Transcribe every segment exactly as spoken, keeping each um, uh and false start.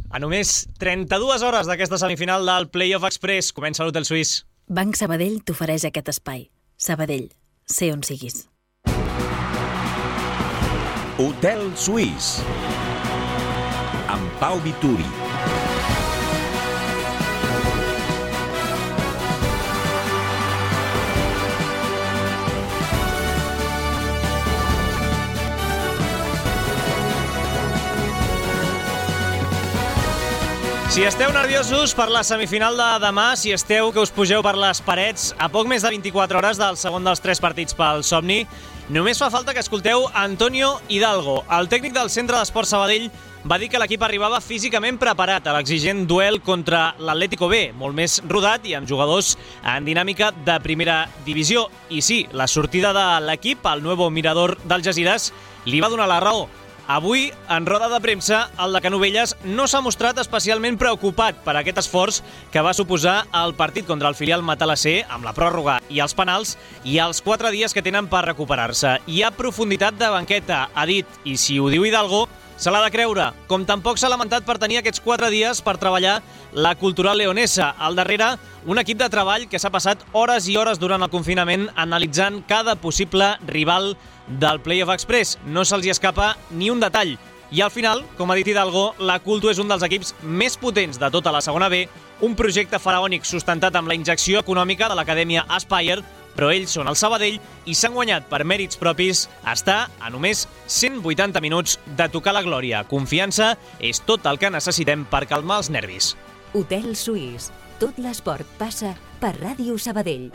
A només trenta-dues hores d'aquesta semifinal del Playoff Express comença l'Hotel Suís. Banc Sabadell t'ofereix aquest espai. Sabadell, sé on siguis. Hotel Suís amb Pau Vituri. Si esteu nerviosos per la semifinal de demà, si esteu que us pugeu per les parets a poc més de vint-i-quatre hores del segon dels tres partits pel Somni, només fa falta que escolteu Antonio Hidalgo. El tècnic del Centre d'Esport Sabadell va dir que l'equip arribava físicament preparat a l'exigent duel contra l'Atlético B, molt més rodat i amb jugadors en dinàmica de primera divisió. I sí, la sortida de l'equip, el nuevo mirador d'Algesires, li va donar la raó. Avui, en roda de premsa, el de Canovelles no s'ha mostrat especialment preocupat per aquest esforç que va suposar el partit contra el filial Matalassé amb la pròrroga i els penals i els quatre dies que tenen per recuperar-se. Hi ha profunditat de banqueta, ha dit, i si ho diu Hidalgo, se l'ha de creure, com tampoc s'ha lamentat per tenir aquests quatre dies per treballar la cultural leonesa. Al darrere, un equip de treball que s'ha passat hores i hores durant el confinament analitzant cada possible rival del Playoff Express. No se'ls hi escapa ni un detall. I al final, com ha dit Hidalgo, la Culto és un dels equips més potents de tota la segona B, un projecte faraònic sustentat amb la injecció econòmica de l'acadèmia Aspire, però ells són el Sabadell i s'han guanyat per mèrits propis estar a només cent vuitanta minuts de tocar la glòria. Confiança és tot el que necessitem per calmar els nervis. Hotel Suís. Tot l'esport passa per Ràdio Sabadell.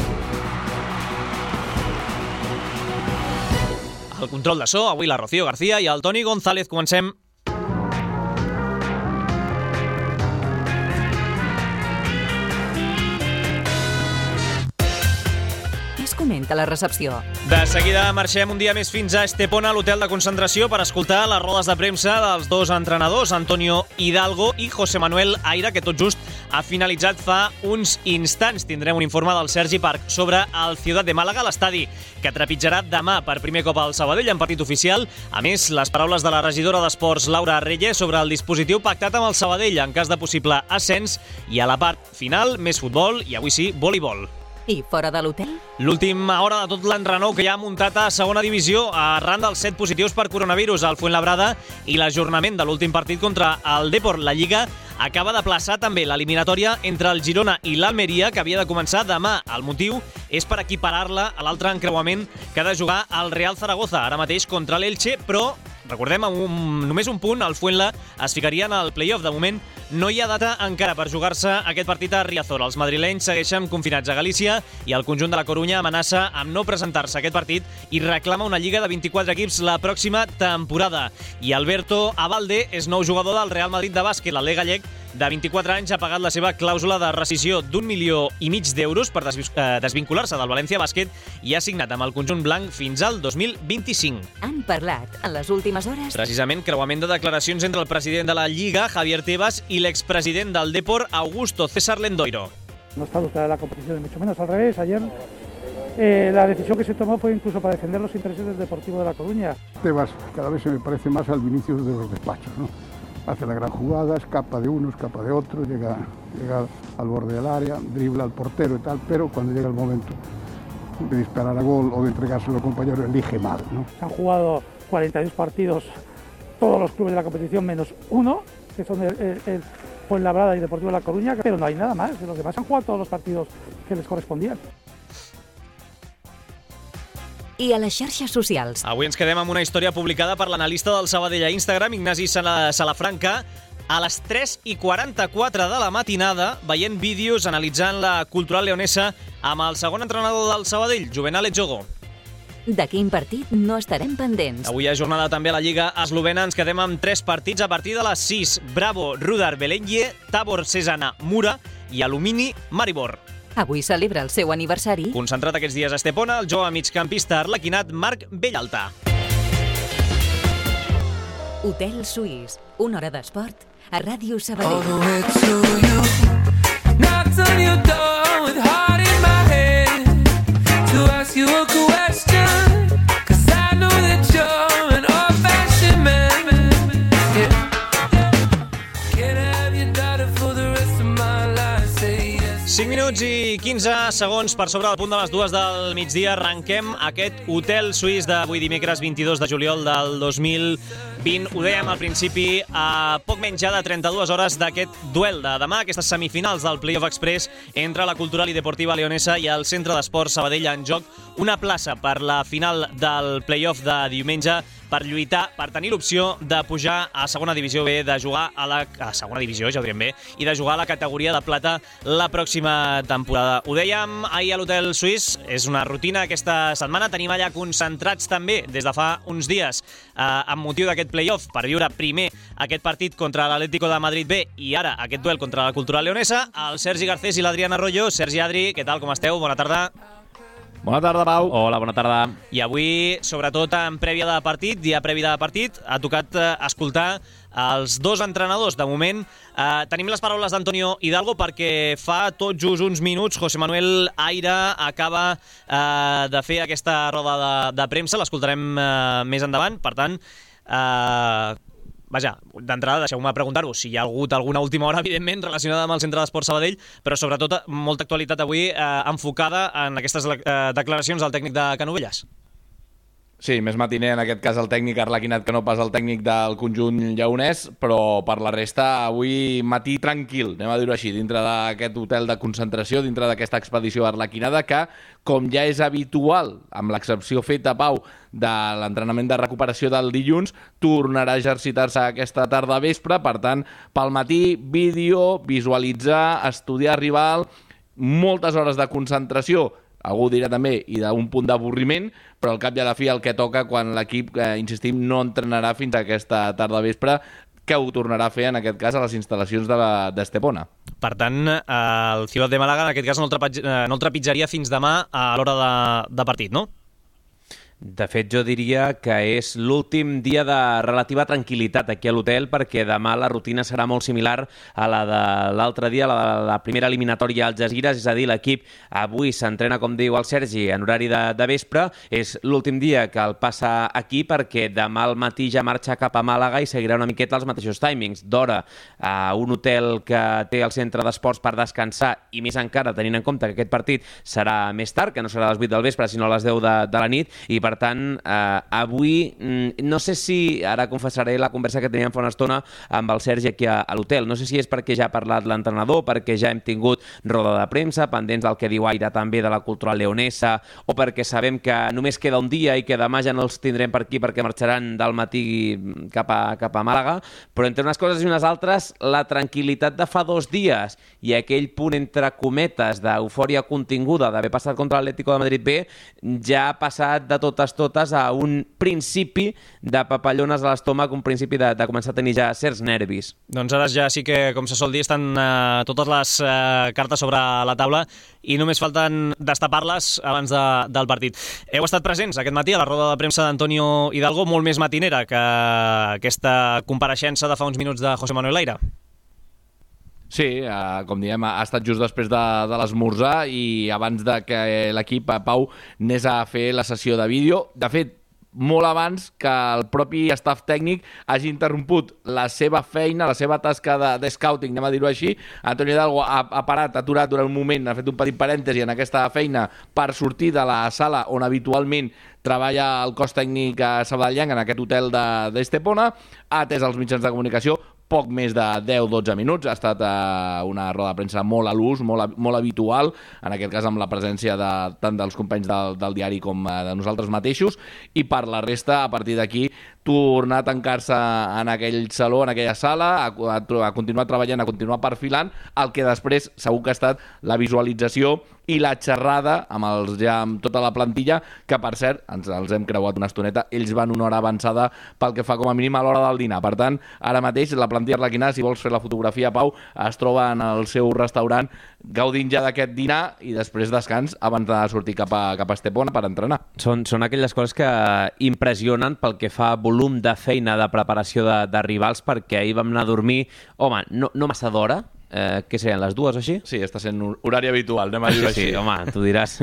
El control de so, avui la Rocío García i el Toni González. Comencem. Què es comenta a la recepció? De seguida marxem un dia més fins a Estepona, l'hotel de concentració, per escoltar les rodes de premsa dels dos entrenadors, Antonio Hidalgo i José Manuel Aira, que tot just ha finalitzat fa uns instants. Tindrem un informe del Sergi Parc sobre el Ciutat de Màlaga, l'estadi que trepitjarà demà per primer cop al Sabadell en partit oficial. A més, les paraules de la regidora d'Esports, Laura Reyes, sobre el dispositiu pactat amb el Sabadell en cas de possible ascens, i a la part final, més futbol i avui sí, voleibol. I fora de l'hotel? L'última hora de tot l'enrenou que hi ha muntat a segona divisió arran dels set positius per coronavirus al Fuenlabrada i l'ajornament de l'últim partit contra el Depor. La Lliga acaba de plaçar també l'eliminatòria entre el Girona i l'Almeria, que havia de començar demà. El motiu és per equiparar-la a l'altre encreuament que ha de jugar el Real Zaragoza, ara mateix contra l'Elche, però recordem, amb un, només un punt, el Fuenla es ficaria en el playoff. De moment no hi ha data encara per jugar-se aquest partit a Riazor. Els madrilenys segueixen confinats a Galícia i el conjunt de la Corunya amenaça amb no presentar-se a aquest partit i reclama una lliga de vint-i-quatre equips la pròxima temporada. I Alberto Abalde és nou jugador del Real Madrid de bàsquet. L'Atlètic gallec de vint-i-quatre anys ha pagat la seva clàusula de rescissió d'un milió i mig d'euros per desvincular-se del València Bàsquet i ha signat amb el conjunt blanc fins al dos mil vint-i-cinc. Han parlat en les últimes hores? Precisament, creuament de declaracions entre el president de la Lliga, Javier Tebas, i l'expresident del Depor, Augusto César Lendoiro. No está adulterada la competición, mucho menos al revés. Ayer eh, la decisión que se tomó fue incluso para defender los intereses del Deportivo de La Coruña. Tebas cada vez se me parece más al Vinicius de los despachos, ¿no? Hace la gran jugada, escapa de uno, escapa de otro, llega, llega al borde del área, dribla al portero y tal, pero cuando llega el momento de disparar a gol o de entregárselo al compañero, elige mal, ¿no? Se han jugado cuarenta y dos partidos todos los clubes de la competición menos uno, que son el, el, el Fuenlabrada y Deportivo de La Coruña, pero no hay nada más. Los demás han jugado todos los partidos que les correspondían. I a les xarxes socials. Avui ens quedem amb una història publicada per l'analista del Sabadell a Instagram, Ignasi Salafranca, a les tres i quaranta-quatre de la matinada, veient vídeos analitzant la cultural leonesa amb el segon entrenador del Sabadell, Juvenal Etxogo. De quin partit no estarem pendents? Avui hi ha jornada també a la Lliga eslovena. Ens quedem amb tres partits a partir de les sis. Bravo, Rudar, Belenje, Tabor, Cesana, Mura i Alumini, Maribor. Avui celebra el seu aniversari. Concentrat aquests dies a Estepona, el jove migcampista arlequinat Marc Bellalta. Hotel Suís, una hora d'esport a Ràdio Sabadell. minuts i quinze segons per sobre del punt de les dues del migdia. Arrenquem aquest hotel suís d'avui dimecres vint-i-dos de juliol del dos mil vint. Ho dèiem al principi, a poc menys ja de trenta-dues hores d'aquest duel de demà, aquestes semifinals del Playoff Express entre la Cultural i Deportiva Leonesa i el Centre d'Esports Sabadell. En joc una plaça per la final del Playoff de diumenge, per lluitar, per tenir l'opció de pujar a segona divisió B, de jugar a la a segona divisió, ja ho direm bé, i de jugar a la categoria de plata la pròxima temporada. Ho dèiem ahir a l'Hotel Suís, és una rutina aquesta setmana. Tenim allà concentrats també des de fa uns dies eh, amb motiu d'aquest playoff per viure primer aquest partit contra l'Atlético de Madrid B i ara aquest duel contra la Cultural Leonesa, el Sergi Garcés i l'Adrián Arroyo. Sergi, Adri, què tal, com esteu? Bona tarda. Bona tarda, Pau. Hola, bona tarda. I avui, sobretot en prèvia de partit, dia previ de partit, ha tocat eh, escoltar els dos entrenadors. De moment, eh, tenim les paraules d'Antonio Hidalgo perquè fa tot just uns minuts José Manuel Aira acaba eh, de fer aquesta roda de, de premsa. L'escoltarem eh, més endavant. Per tant, eh, vaja, d'entrada deixeu-me preguntar-vos si hi ha hagut alguna última hora, evidentment, relacionada amb el Centre d'Esports Sabadell, però sobretot molta actualitat avui eh, enfocada en aquestes eh, declaracions del tècnic de Canovelles. Sí, més matiner en aquest cas el tècnic Arlequinat que no pas el tècnic del conjunt lleonès, però per la resta avui matí tranquil, anem a dir-ho així, dintre d'aquest hotel de concentració, dintre d'aquesta expedició arlequinada que, com ja és habitual, amb l'excepció feta, Pau, de l'entrenament de recuperació del dilluns, tornarà a exercitar-se aquesta tarda vespre. Per tant, pel matí, vídeo, visualitzar, estudiar rival, moltes hores de concentració, algú dirà també, i d'un punt d'avorriment, però al cap i a la fi el que toca quan l'equip, eh, insistim, no entrenarà fins a aquesta tarda vespre, que ho tornarà a fer, en aquest cas, a les instal·lacions d'Estepona. Per tant, eh, el Ciutat de Màlaga, en aquest cas, no el, trepitj- eh, no el trepitjaria fins demà a l'hora de, de partit, no? De fet, jo diria que és l'últim dia de relativa tranquil·litat aquí a l'hotel, perquè demà la rutina serà molt similar a la de l'altre dia, la de la primera eliminatòria al Algesires, és a dir, l'equip avui s'entrena, com diu el Sergi, en horari de, de vespre. És l'últim dia que el passa aquí perquè demà al matí ja marxa cap a Màlaga i seguirà una miqueta els mateixos timings d'hora a un hotel que té el Centre d'Esports per descansar, i més encara tenint en compte que aquest partit serà més tard, que no serà a les vuit del vespre, sinó a les deu de, de la nit, i per tant, eh, avui, no sé si, ara confessaré la conversa que teníem fa una estona amb el Sergi aquí a, a l'hotel, no sé si és perquè ja ha parlat l'entrenador, perquè ja hem tingut roda de premsa, pendents del que diu Aira també de la Cultural Leonesa, o perquè sabem que només queda un dia i que demà ja no els tindrem per aquí perquè marxaran del matí cap a, cap a Màlaga, però entre unes coses i unes altres, la tranquil·litat de fa dos dies i aquell punt entre cometes d'eufòria continguda d'haver passat contra l'Atlético de Madrid B ja ha passat de totes totes a un principi de papallones a l'estómac, un principi de, de començar a tenir ja certs nervis. Doncs ara ja sí que, com se sol dir, estan eh, totes les eh, cartes sobre la taula i només falten destapar-les abans de, del partit. Heu estat presents aquest matí a la roda de premsa d'Antonio Hidalgo, molt més matinera que aquesta compareixença de fa uns minuts de José Manuel Aira. Sí, eh, com diem, ha estat just després de, de l'esmorzar i abans de que l'equip, Pau, anés a fer la sessió de vídeo. De fet, molt abans que el propi staff tècnic hagi interromput la seva feina, la seva tasca de, de scouting, anem a dir-ho així. Antonio Hidalgo ha, ha parat, ha aturat durant un moment, ha fet un petit parèntesi en aquesta feina per sortir de la sala on habitualment treballa el cos tècnic a Sabadellenc, en aquest hotel d'Estepona, ha atès els mitjans de comunicació poc més de deu dotze minuts. Ha estat eh, una roda de premsa molt a l'ús, molt, molt habitual, en aquest cas amb la presència de, tant dels companys del, del diari com eh, de nosaltres mateixos, i per la resta, a partir d'aquí, tornar a tancar-se en aquell saló, en aquella sala, a, a, a continuar treballant, a continuar perfilant, el que després segur que ha estat la visualització i la xerrada amb, els, ja, amb tota la plantilla, que per cert, ens els hem creuat una estoneta, ells van una hora avançada pel que fa com a mínim a l'hora del dinar. Per tant, ara mateix la plantilla arlequinada, si vols fer la fotografia, Pau, es troba en el seu restaurant gaudint ja d'aquest dinar i després descans abans de sortir cap a, cap a Estepona per entrenar. Són, són aquelles coses que impressionen pel que fa volum de feina de preparació de, de rivals, perquè ahir vam anar a dormir, home, no, no massa d'hora, eh, què serien, les dues o així? Sí, està sent un horari habitual, anem a dir-ho sí, així. Sí, home, tu diràs...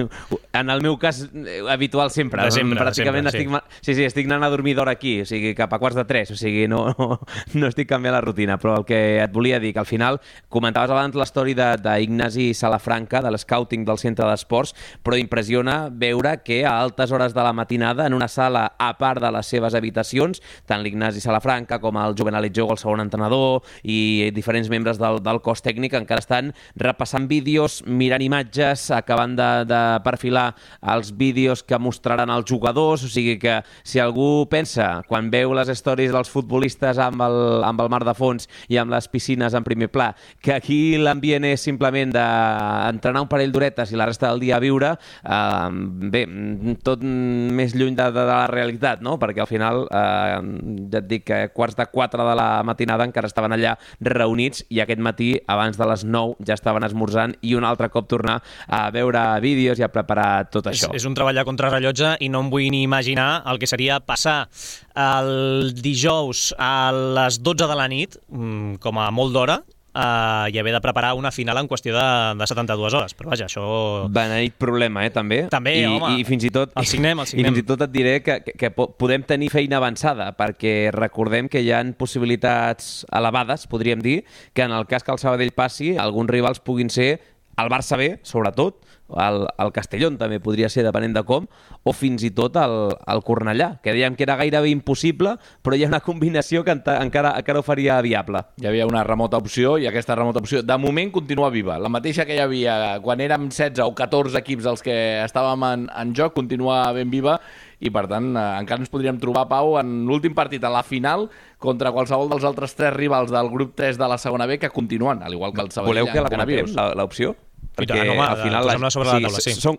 En el meu cas, habitual sempre. De sempre, Pràcticament de sempre, estic, sí. Sí, sí, estic anant a dormir d'hora aquí, o sigui, cap a quarts de tres, o sigui, no, no, no estic canviant la rutina, però el que et volia dir, que al final comentaves abans l'història d'Ignasi Salafranca, de l'scouting del centre d'esports, però impressiona veure que a altes hores de la matinada, en una sala a part de les seves habitacions, tant l'Ignasi Salafranca com el Jovenalet Jogo, el segon entrenador, i diferents membres del, del cos tècnic encara estan repassant vídeos, mirant imatges, acabant de, de perfilar els vídeos que mostraran els jugadors, o sigui que si algú pensa, quan veu les històries dels futbolistes amb el, amb el mar de fons i amb les piscines en primer pla, que aquí l'ambient és simplement d'entrenar un parell d'horetes i la resta del dia a viure, eh, bé, tot més lluny de, de, de la realitat, no? Perquè al final, eh, ja et dic que quarts de quatre de la matinada encara estaven allà reunits i aquest matí, abans de les nou, ja estaven esmorzant i un altre cop tornar a veure vídeos i a preparar tot això. És, és un treball a contrarrellotge i no em vull ni imaginar el que seria passar el dijous a les dotze de la nit, com a molt d'hora, Uh, i haver de preparar una final en qüestió de, de setanta-dues hores, però vaja, això... Beneït problema, eh, també. També, I, home, i fins i tot, el signem, el signem. I fins i tot et diré que, que, que podem tenir feina avançada, perquè recordem que hi ha possibilitats elevades, podríem dir, que en el cas que el Sabadell passi, alguns rivals puguin ser el Barça B, sobretot, el, el Castellón també podria ser, depenent de com, o fins i tot el, el Cornellà, que dèiem que era gairebé impossible, però hi ha una combinació que encara, encara ho faria viable. Hi havia una remota opció i aquesta remota opció de moment continua viva. La mateixa que hi havia quan érem setze o catorze equips els que estàvem en, en joc continua ben viva i per tant eh, encara ens podríem trobar, Pau, en l'últim partit a la final contra qualsevol dels altres tres rivals del grup tres de la segona B que continuen, al igual que el Sabadell. Voleu que la comentem, l'opció? Perquè tant, home, al final posem-la sobre la taula, sí. Són,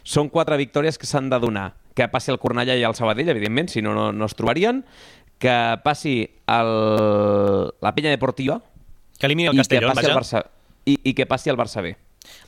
són quatre victòries que s'han de donar. Que passi el Cornellà i el Sabadell, evidentment, si no, no, no es trobarien. Que passi el, la Penya Deportiva. Que elimini el Castellón, vaja. El Barça, i, I que passi el Barça B.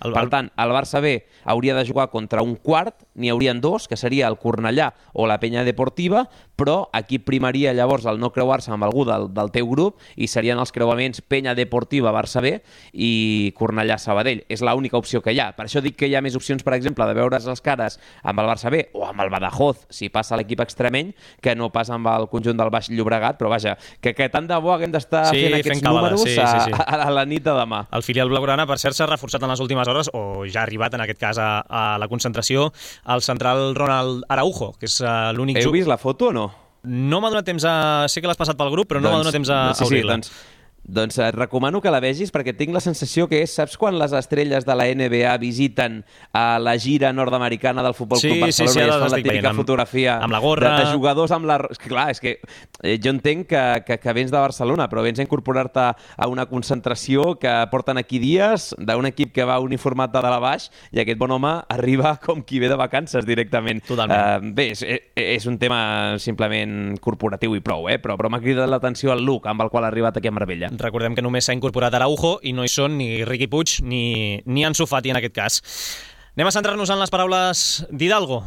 El, per tant, el Barça B hauria de jugar contra un quart, n'hi haurien dos, que seria el Cornellà o la Penya Deportiva, però aquí primaria llavors el no creuar-se amb algú del, del teu grup i serien els creuaments Penya Deportiva, Barça B i Cornellà Sabadell. És l'única opció que hi ha. Per això dic que hi ha més opcions, per exemple, de veure's les cares amb el Barça B o amb el Badajoz, si passa l'equip extremeny, que no pas amb el conjunt del Baix Llobregat, però vaja, que, que tant de bo haguem d'estar sí, fent aquests fent números sí, a, sí, sí. A, a la nit de demà. El filial blaugrana, per cert, s'ha reforçat en les últimes hores, o ja ha arribat en aquest cas a, a la concentració, el central Ronald Araujo, que és uh, l'únic... Heu vist la foto o no? No m'ha donat temps a... Sé que l'has passat pel grup, però no doncs, m'ha donat temps a, doncs, sí, a obrir-la. Sí, doncs, doncs et recomano que la vegis perquè tinc la sensació que és, saps quan les estrelles de la N B A visiten a la gira nord-americana del Futbol sí, Club Barcelona sí, sí, i es fan la estic típica amb, fotografia amb la gorra de, de jugadors amb la... Clar, és que eh, jo entenc que, que, que vens de Barcelona, però vens a incorporar-te a una concentració que porten aquí dies d'un equip que va uniformat de dalt a baix i aquest bon home arriba com qui ve de vacances directament. Totalment. Uh, bé, és, és un tema simplement corporatiu i prou, eh? però, però m'ha cridat l'atenció el look amb el qual ha arribat aquí a Marbella. Recordem que només s'ha incorporat Araujo i no hi són ni Riqui Puig ni, ni Ansu Fati en aquest cas. Anem a centrar-nos en les paraules d'Hidalgo.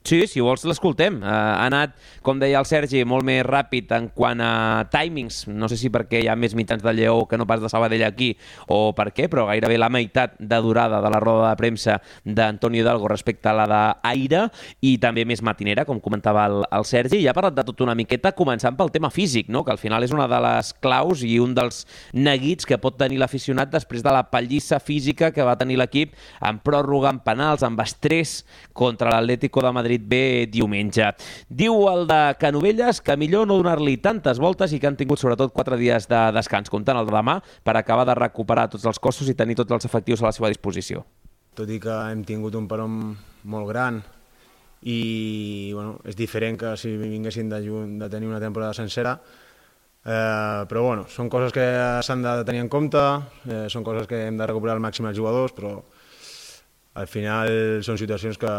Sí, si vols l'escoltem. Uh, ha anat, com deia el Sergi, molt més ràpid en quant a timings. No sé si perquè hi ha més mitjans de Lleó que no pas de Sabadell aquí o per què, però gairebé la meitat de durada de la roda de premsa d'Antonio Hidalgo respecte a la d'Aire i també més matinera, com comentava el, el Sergi. I ha parlat de tot una miqueta, començant pel tema físic, no? Que al final és una de les claus i un dels neguits que pot tenir l'aficionat després de la pallissa física que va tenir l'equip en pròrroga, en penals, amb estrès contra l'Atlético de Madrid B diumenge. Diu el de Canovelles que millor no donar-li tantes voltes i que han tingut sobretot quatre dies de descans, comptant el de demà, per acabar de recuperar tots els cossos i tenir tots els efectius a la seva disposició. Tot i que hem tingut un peron molt gran i bueno, és diferent que si vinguessin de, de tenir una temporada sencera, eh, però bueno, són coses que s'han de tenir en compte, eh, són coses que hem de recuperar al màxim els jugadors, però al final són situacions que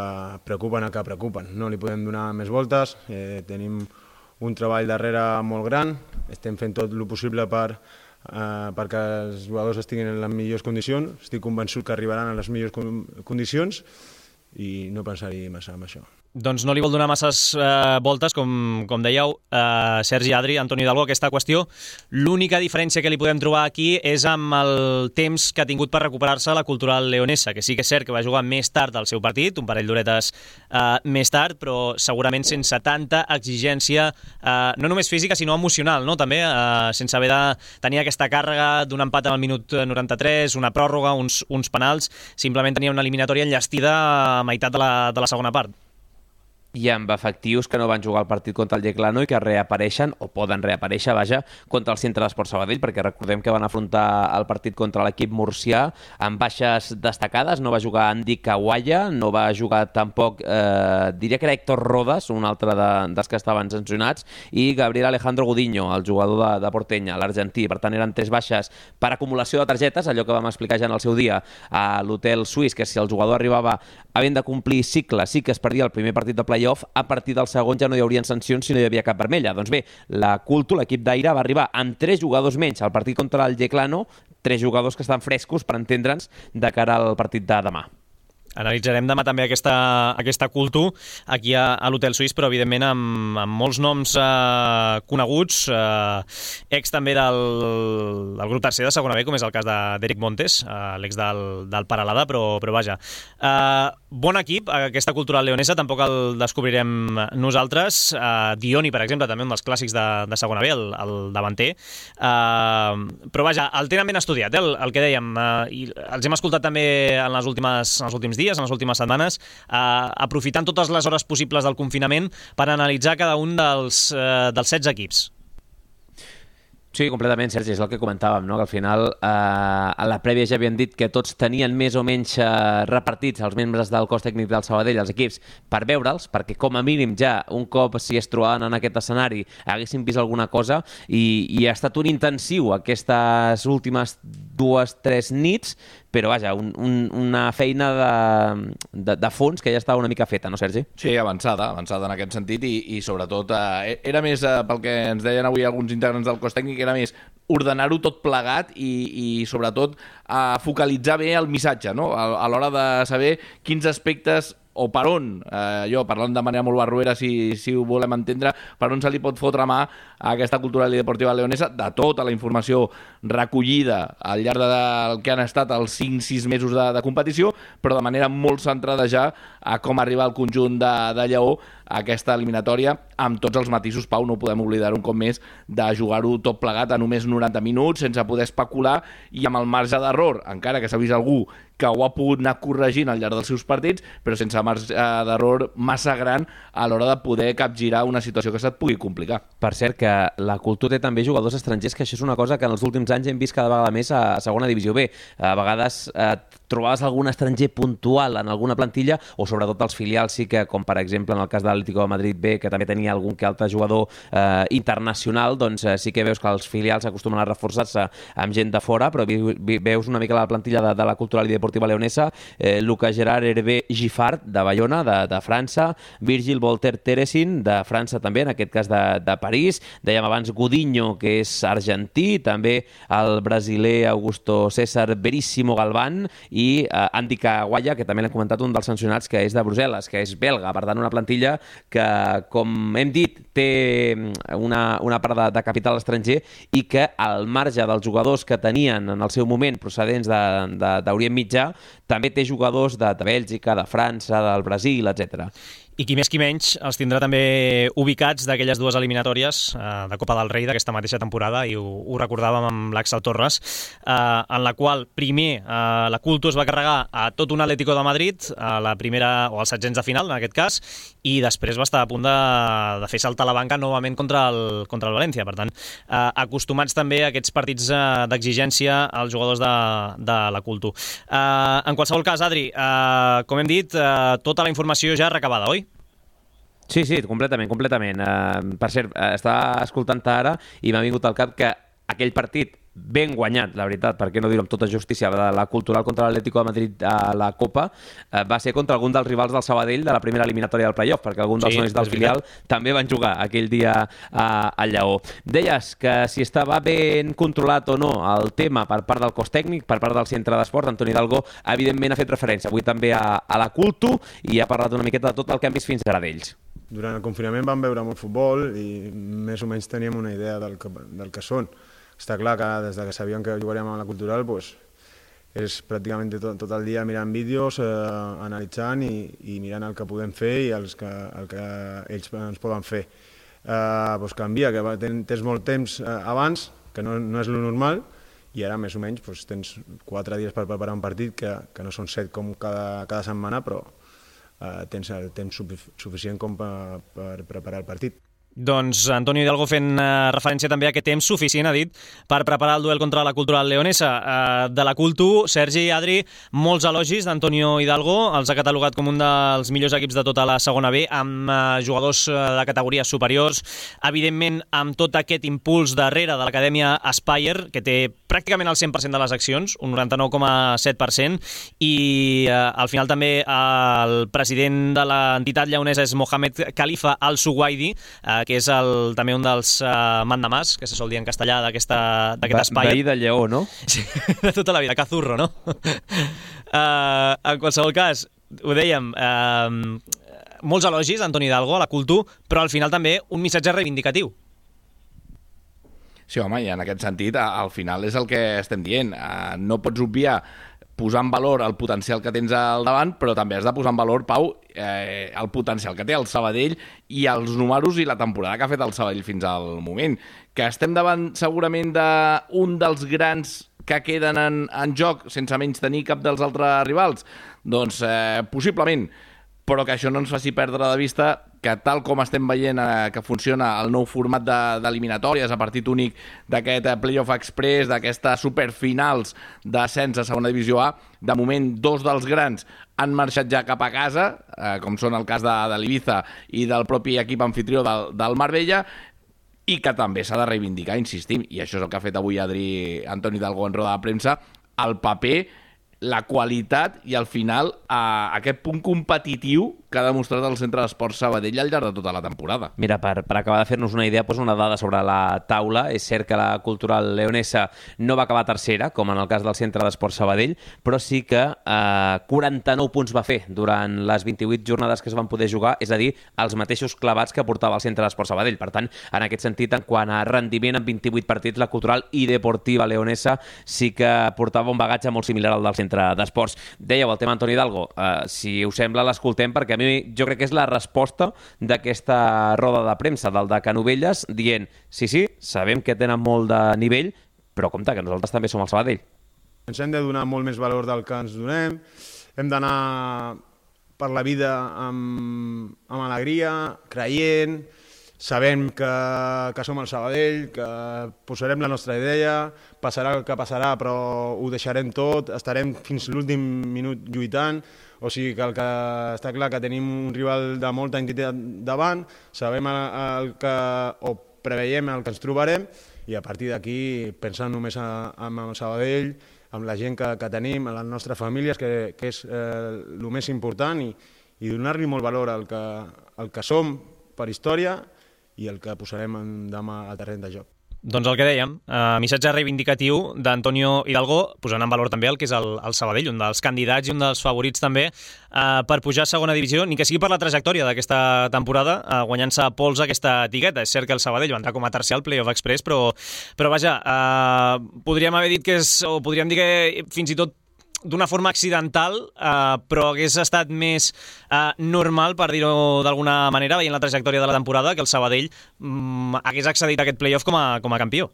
preocupen a que preocupen. No li podem donar més voltes, eh, tenim un treball darrere molt gran, estem fent tot el possible per, eh, perquè els jugadors estiguin en les millors condicions, estic convençut que arribaran a les millors condicions i no pensar-hi massa amb això. doncs no li vol donar masses eh, voltes, com, com dèieu, eh, Sergi, Adri, Antoni Hidalgo, aquesta qüestió. L'única diferència que li podem trobar aquí és amb el temps que ha tingut per recuperar-se la Cultural Leonesa, que sí que és cert que va jugar més tard al seu partit, un parell d'horetes eh, més tard, però segurament sense tanta exigència, eh, no només física, sinó emocional, no? També, eh, sense haver de tenir aquesta càrrega d'un empat al minut noranta-tres, una pròrroga, uns, uns penals, simplement tenia una eliminatòria enllestida a meitat de la, de la segona part. I amb efectius que no van jugar el partit contra el Yeclano i que reapareixen, o poden reaparèixer, vaja, contra el Centre d'Esport Sabadell, perquè recordem que van afrontar el partit contra l'equip murcià amb baixes destacades. No va jugar Andy Kawaya, no va jugar tampoc, eh, diria que era Héctor Rodas, un altre de, dels que estaven sancionats, i Gabriel Alejandro Gudiño, el jugador de, de Portenya, l'argentí. Per tant, eren tres baixes per acumulació de targetes, allò que vam explicar ja en el seu dia a l'hotel suís, que si el jugador arribava havent de complir cicle, sí que es perdia el primer partit de play-off, a partir del segon ja no hi haurien sancions si no hi havia cap vermella. Doncs bé, la Culto, l'equip d'Aire, va arribar amb tres jugadors menys al partit contra el Yeclano, tres jugadors que estan frescos, per entendre'ns, de cara al partit de demà. Analitzarem demà també aquesta, aquesta Culto aquí a, a l'Hotel Suís, però evidentment amb, amb molts noms eh, coneguts, eh, ex també del, del grup tercer de segona B, com és el cas d'Eric Montes, eh, l'ex del, del Paralada, però, però vaja. Eh, bon equip, aquesta Cultural Leonesa, tampoc el descobrirem nosaltres. Eh, Dioni, per exemple, també un dels clàssics de, de segona B, el, el davanter. Eh, però vaja, el tenen ben estudiat, eh, el, el que dèiem, eh, i els hem escoltat també en les últimes, en els últims dies, en les últimes setmanes, eh, aprofitant totes les hores possibles del confinament per analitzar cada un dels, eh, dels setze equips. Sí, completament, Sergi, és el que comentàvem, no? Que al final eh, a la prèvia ja havien dit que tots tenien més o menys eh, repartits els membres del cos tècnic del Sabadell, els equips, per veure'ls, perquè com a mínim ja un cop si es trobaven en aquest escenari haguessin vist alguna cosa, i, i ha estat un intensiu aquestes últimes dues, tres nits, però vaja, un, un, una feina de, de, de fons que ja estava una mica feta, no, Sergi? Sí, avançada, avançada en aquest sentit, i, i sobretot eh, era més, eh, pel que ens deien avui alguns integrants del cos tècnic, era més ordenar-ho tot plegat i, i sobretot eh, focalitzar bé el missatge, no? A, a l'hora de saber quins aspectes o per on, eh, jo parlant de manera molt barruera, si, si ho volem entendre, per on se li pot fotre mà a aquesta Cultural i Deportiva Leonesa, de tota la informació recollida al llarg del que han estat els cinc sis mesos de, de competició, però de manera molt centrada ja a com arriba el conjunt de, de Lleó a aquesta eliminatòria, amb tots els matisos, Pau, no podem oblidar un cop més de jugar-ho tot plegat a només noranta minuts, sense poder especular i amb el marge d'error, encara que s'ha vist algú que ho ha pogut anar corregint al llarg dels seus partits, però sense marge d'error massa gran a l'hora de poder capgirar una situació que se't pugui complicar. Per cert, que la Cultura té també jugadors estrangers, que això és una cosa que en els últims anys hem vist cada vegada més a segona divisió B. A vegades eh, trobaves algun estranger puntual en alguna plantilla, o sobretot els filials sí que, com per exemple en el cas de l'Atlético de Madrid B, que també tenia algun que altre jugador eh, internacional, doncs eh, sí que veus que els filials acostumen a reforçar-se amb gent de fora, però veus una mica la plantilla de, de la Cultural i Deportiva Leonesa, eh, Lucas Gerard Hervé Giffard, de Bayona, de, de França, Virgil Volter Teresin, de França també, en aquest cas de, de París, dèiem abans Gudiño, que és argentí, també el brasiler Augusto César Veríssimo Galván, i eh, Andy Kawaya, que també l'hem comentat, un dels sancionats, que és de Brussel·les, que és belga, per tant una plantilla que, com hem dit, té una, una part de, de capital estranger i que al marge dels jugadors que tenien en el seu moment procedents d'Orient Mitjà, també té jugadors de, de Bèlgica, de França, del Brasil, etcètera. I qui més qui menys els tindrà també ubicats d'aquelles dues eliminatòries eh, de Copa del Rei d'aquesta mateixa temporada, i ho, ho recordàvem amb l'Àxel Torres, eh, en la qual primer eh, la Culto es va carregar a tot un Atlético de Madrid, a la primera, o als setzents de final en aquest cas, i després va estar a punt de, de fer saltar la banca novament contra el, contra el València. Per tant, eh, acostumats també a aquests partits eh, d'exigència als jugadors de, de la Culto. Eh, en qualsevol cas, Adri, eh, com hem dit, eh, tota la informació ja recabada, oi? Sí, sí, completament, completament. Uh, per cert, uh, estava escoltant-te ara i m'ha vingut al cap que aquell partit ben guanyat, la veritat, per què no dir-ho amb tota justícia, de la Cultural contra l'Atlético de Madrid a la Copa, eh, va ser contra algun dels rivals del Sabadell de la primera eliminatòria del playoff, perquè alguns dels Sí, nois del és filial veritat. també van jugar aquell dia a, a Lleó. Deies que si estava ben controlat o no el tema per part del cos tècnic, per part del centre d'esport, Antoni Hidalgo evidentment ha fet referència avui també a, a la Cultu i ha parlat una miqueta de tot el que han vist fins ara d'ells. Durant el confinament vam veure molt futbol i més o menys teníem una idea del que, del que són. Està clar que des que sabíem que jugaríem a la Cultural pues, és pràcticament tot, tot el dia mirant vídeos, eh, analitzant i, i mirant el que podem fer i els que, el que ells ens poden fer. Eh, pues canvia, que tens molt temps eh, abans, que no, no és lo normal, i ara més o menys pues, tens quatre dies per preparar un partit, que, que no són set com cada, cada setmana, però eh, tens el temps suficient com per, per preparar el partit. Doncs Antonio Hidalgo fent uh, referència també a aquest temps suficient, ha dit, per preparar el duel contra la Cultural leonesa. Uh, de la Cultu, Sergi i Adri, molts elogis d'Antonio Hidalgo, els ha catalogat com un dels millors equips de tota la segona B, amb uh, jugadors uh, de categories superiors, evidentment amb tot aquest impuls darrere de l'acadèmia Aspire, que té pràcticament el cent per cent de les accions, un noranta-nou coma set per cent, i uh, al final també uh, el president de l'entitat lleonesa és Mohamed Khalifa Al-Suwaidi, uh, que és el, també un dels uh, mandamàs, que se sol dir en castellà d'aquest espai. Veí de Lleó, no? Sí, de tota la vida, cazurro, no? uh, en qualsevol cas, ho dèiem, uh, molts elogis d'Antoni Hidalgo a la Cultu, però al final també un missatge reivindicatiu. Sí, home, i en aquest sentit, al final és el que estem dient. Uh, no pots obviar posar en valor el potencial que tens al davant, però també has de posar en valor, Pau, eh, el potencial que té el Sabadell i els números i la temporada que ha fet el Sabadell fins al moment. Que estem davant segurament d'un dels grans que queden en, en joc sense menys tenir cap dels altres rivals? Doncs eh, possiblement, però que això no ens faci perdre de vista que tal com estem veient eh, que funciona el nou format d'eliminatòries a partit únic d'aquest Playoff Express, d'aquestes superfinals d'ascens a segona divisió A, de moment dos dels grans han marxat ja cap a casa, eh, com són el cas de, de l'Ibiza i del propi equip anfitrió del, del Marbella, i que també s'ha de reivindicar, insistim, i això és el que ha fet avui Adri Antoni Hidalgo en roda de premsa, el paper, la qualitat i al final eh, aquest punt competitiu que ha demostrat el Centre d'Esports Sabadell al llarg de tota la temporada. Mira, per, per acabar de fer-nos una idea, poso una dada sobre la taula. És cert que la Cultural leonesa no va acabar tercera, com en el cas del Centre d'Esports Sabadell, però sí que eh, quaranta-nou punts va fer durant les vint-i-vuit jornades que es van poder jugar, és a dir, els mateixos clavats que portava el Centre d'Esports Sabadell. Per tant, en aquest sentit, en quant a rendiment en vint-i-vuit partits, la Cultural i Deportiva leonesa sí que portava un bagatge molt similar al del Centre d'Esports. Dèieu el tema Antoni Hidalgo, eh, si us sembla l'escoltem, perquè a mi jo crec que és la resposta d'aquesta roda de premsa del de Canovelles, dient, sí, sí, sabem que tenen molt de nivell, però compte, que nosaltres també som el Sabadell. Ens hem de donar molt més valor del que ens donem, hem d'anar per la vida amb, amb alegria, creient, sabem que, que som el Sabadell, que posarem la nostra idea, passarà el que passarà, però ho deixarem tot, estarem fins l'últim minut lluitant, o sigui que el que està clar que tenim un rival de molta entitat davant, sabem el, el que, o preveiem el que ens trobarem, i a partir d'aquí pensant només en el Sabadell, amb la gent que, que tenim, en les nostres famílies, que, que és eh, el més important, i, i donar-li molt valor al que, al que som per història i el que posarem en, demà al terreny de joc. Doncs el que dèiem, eh, missatge reivindicatiu d'Antonio Hidalgo, posant en valor també el que és el, el Sabadell, un dels candidats i un dels favorits també eh, per pujar a segona divisió, ni que sigui per la trajectòria d'aquesta temporada, eh, guanyant-se a pols aquesta etiqueta. És cert que el Sabadell va entrar com a tercer al Playoff Express, però, però vaja, eh, podríem haver dit que és, o podríem dir que fins i tot d'una forma accidental, eh, però hagués estat més eh, normal, per dir-ho d'alguna manera, veient la trajectòria de la temporada, que el Sabadell mm, hagués accedit a aquest playoff com a, com a campió.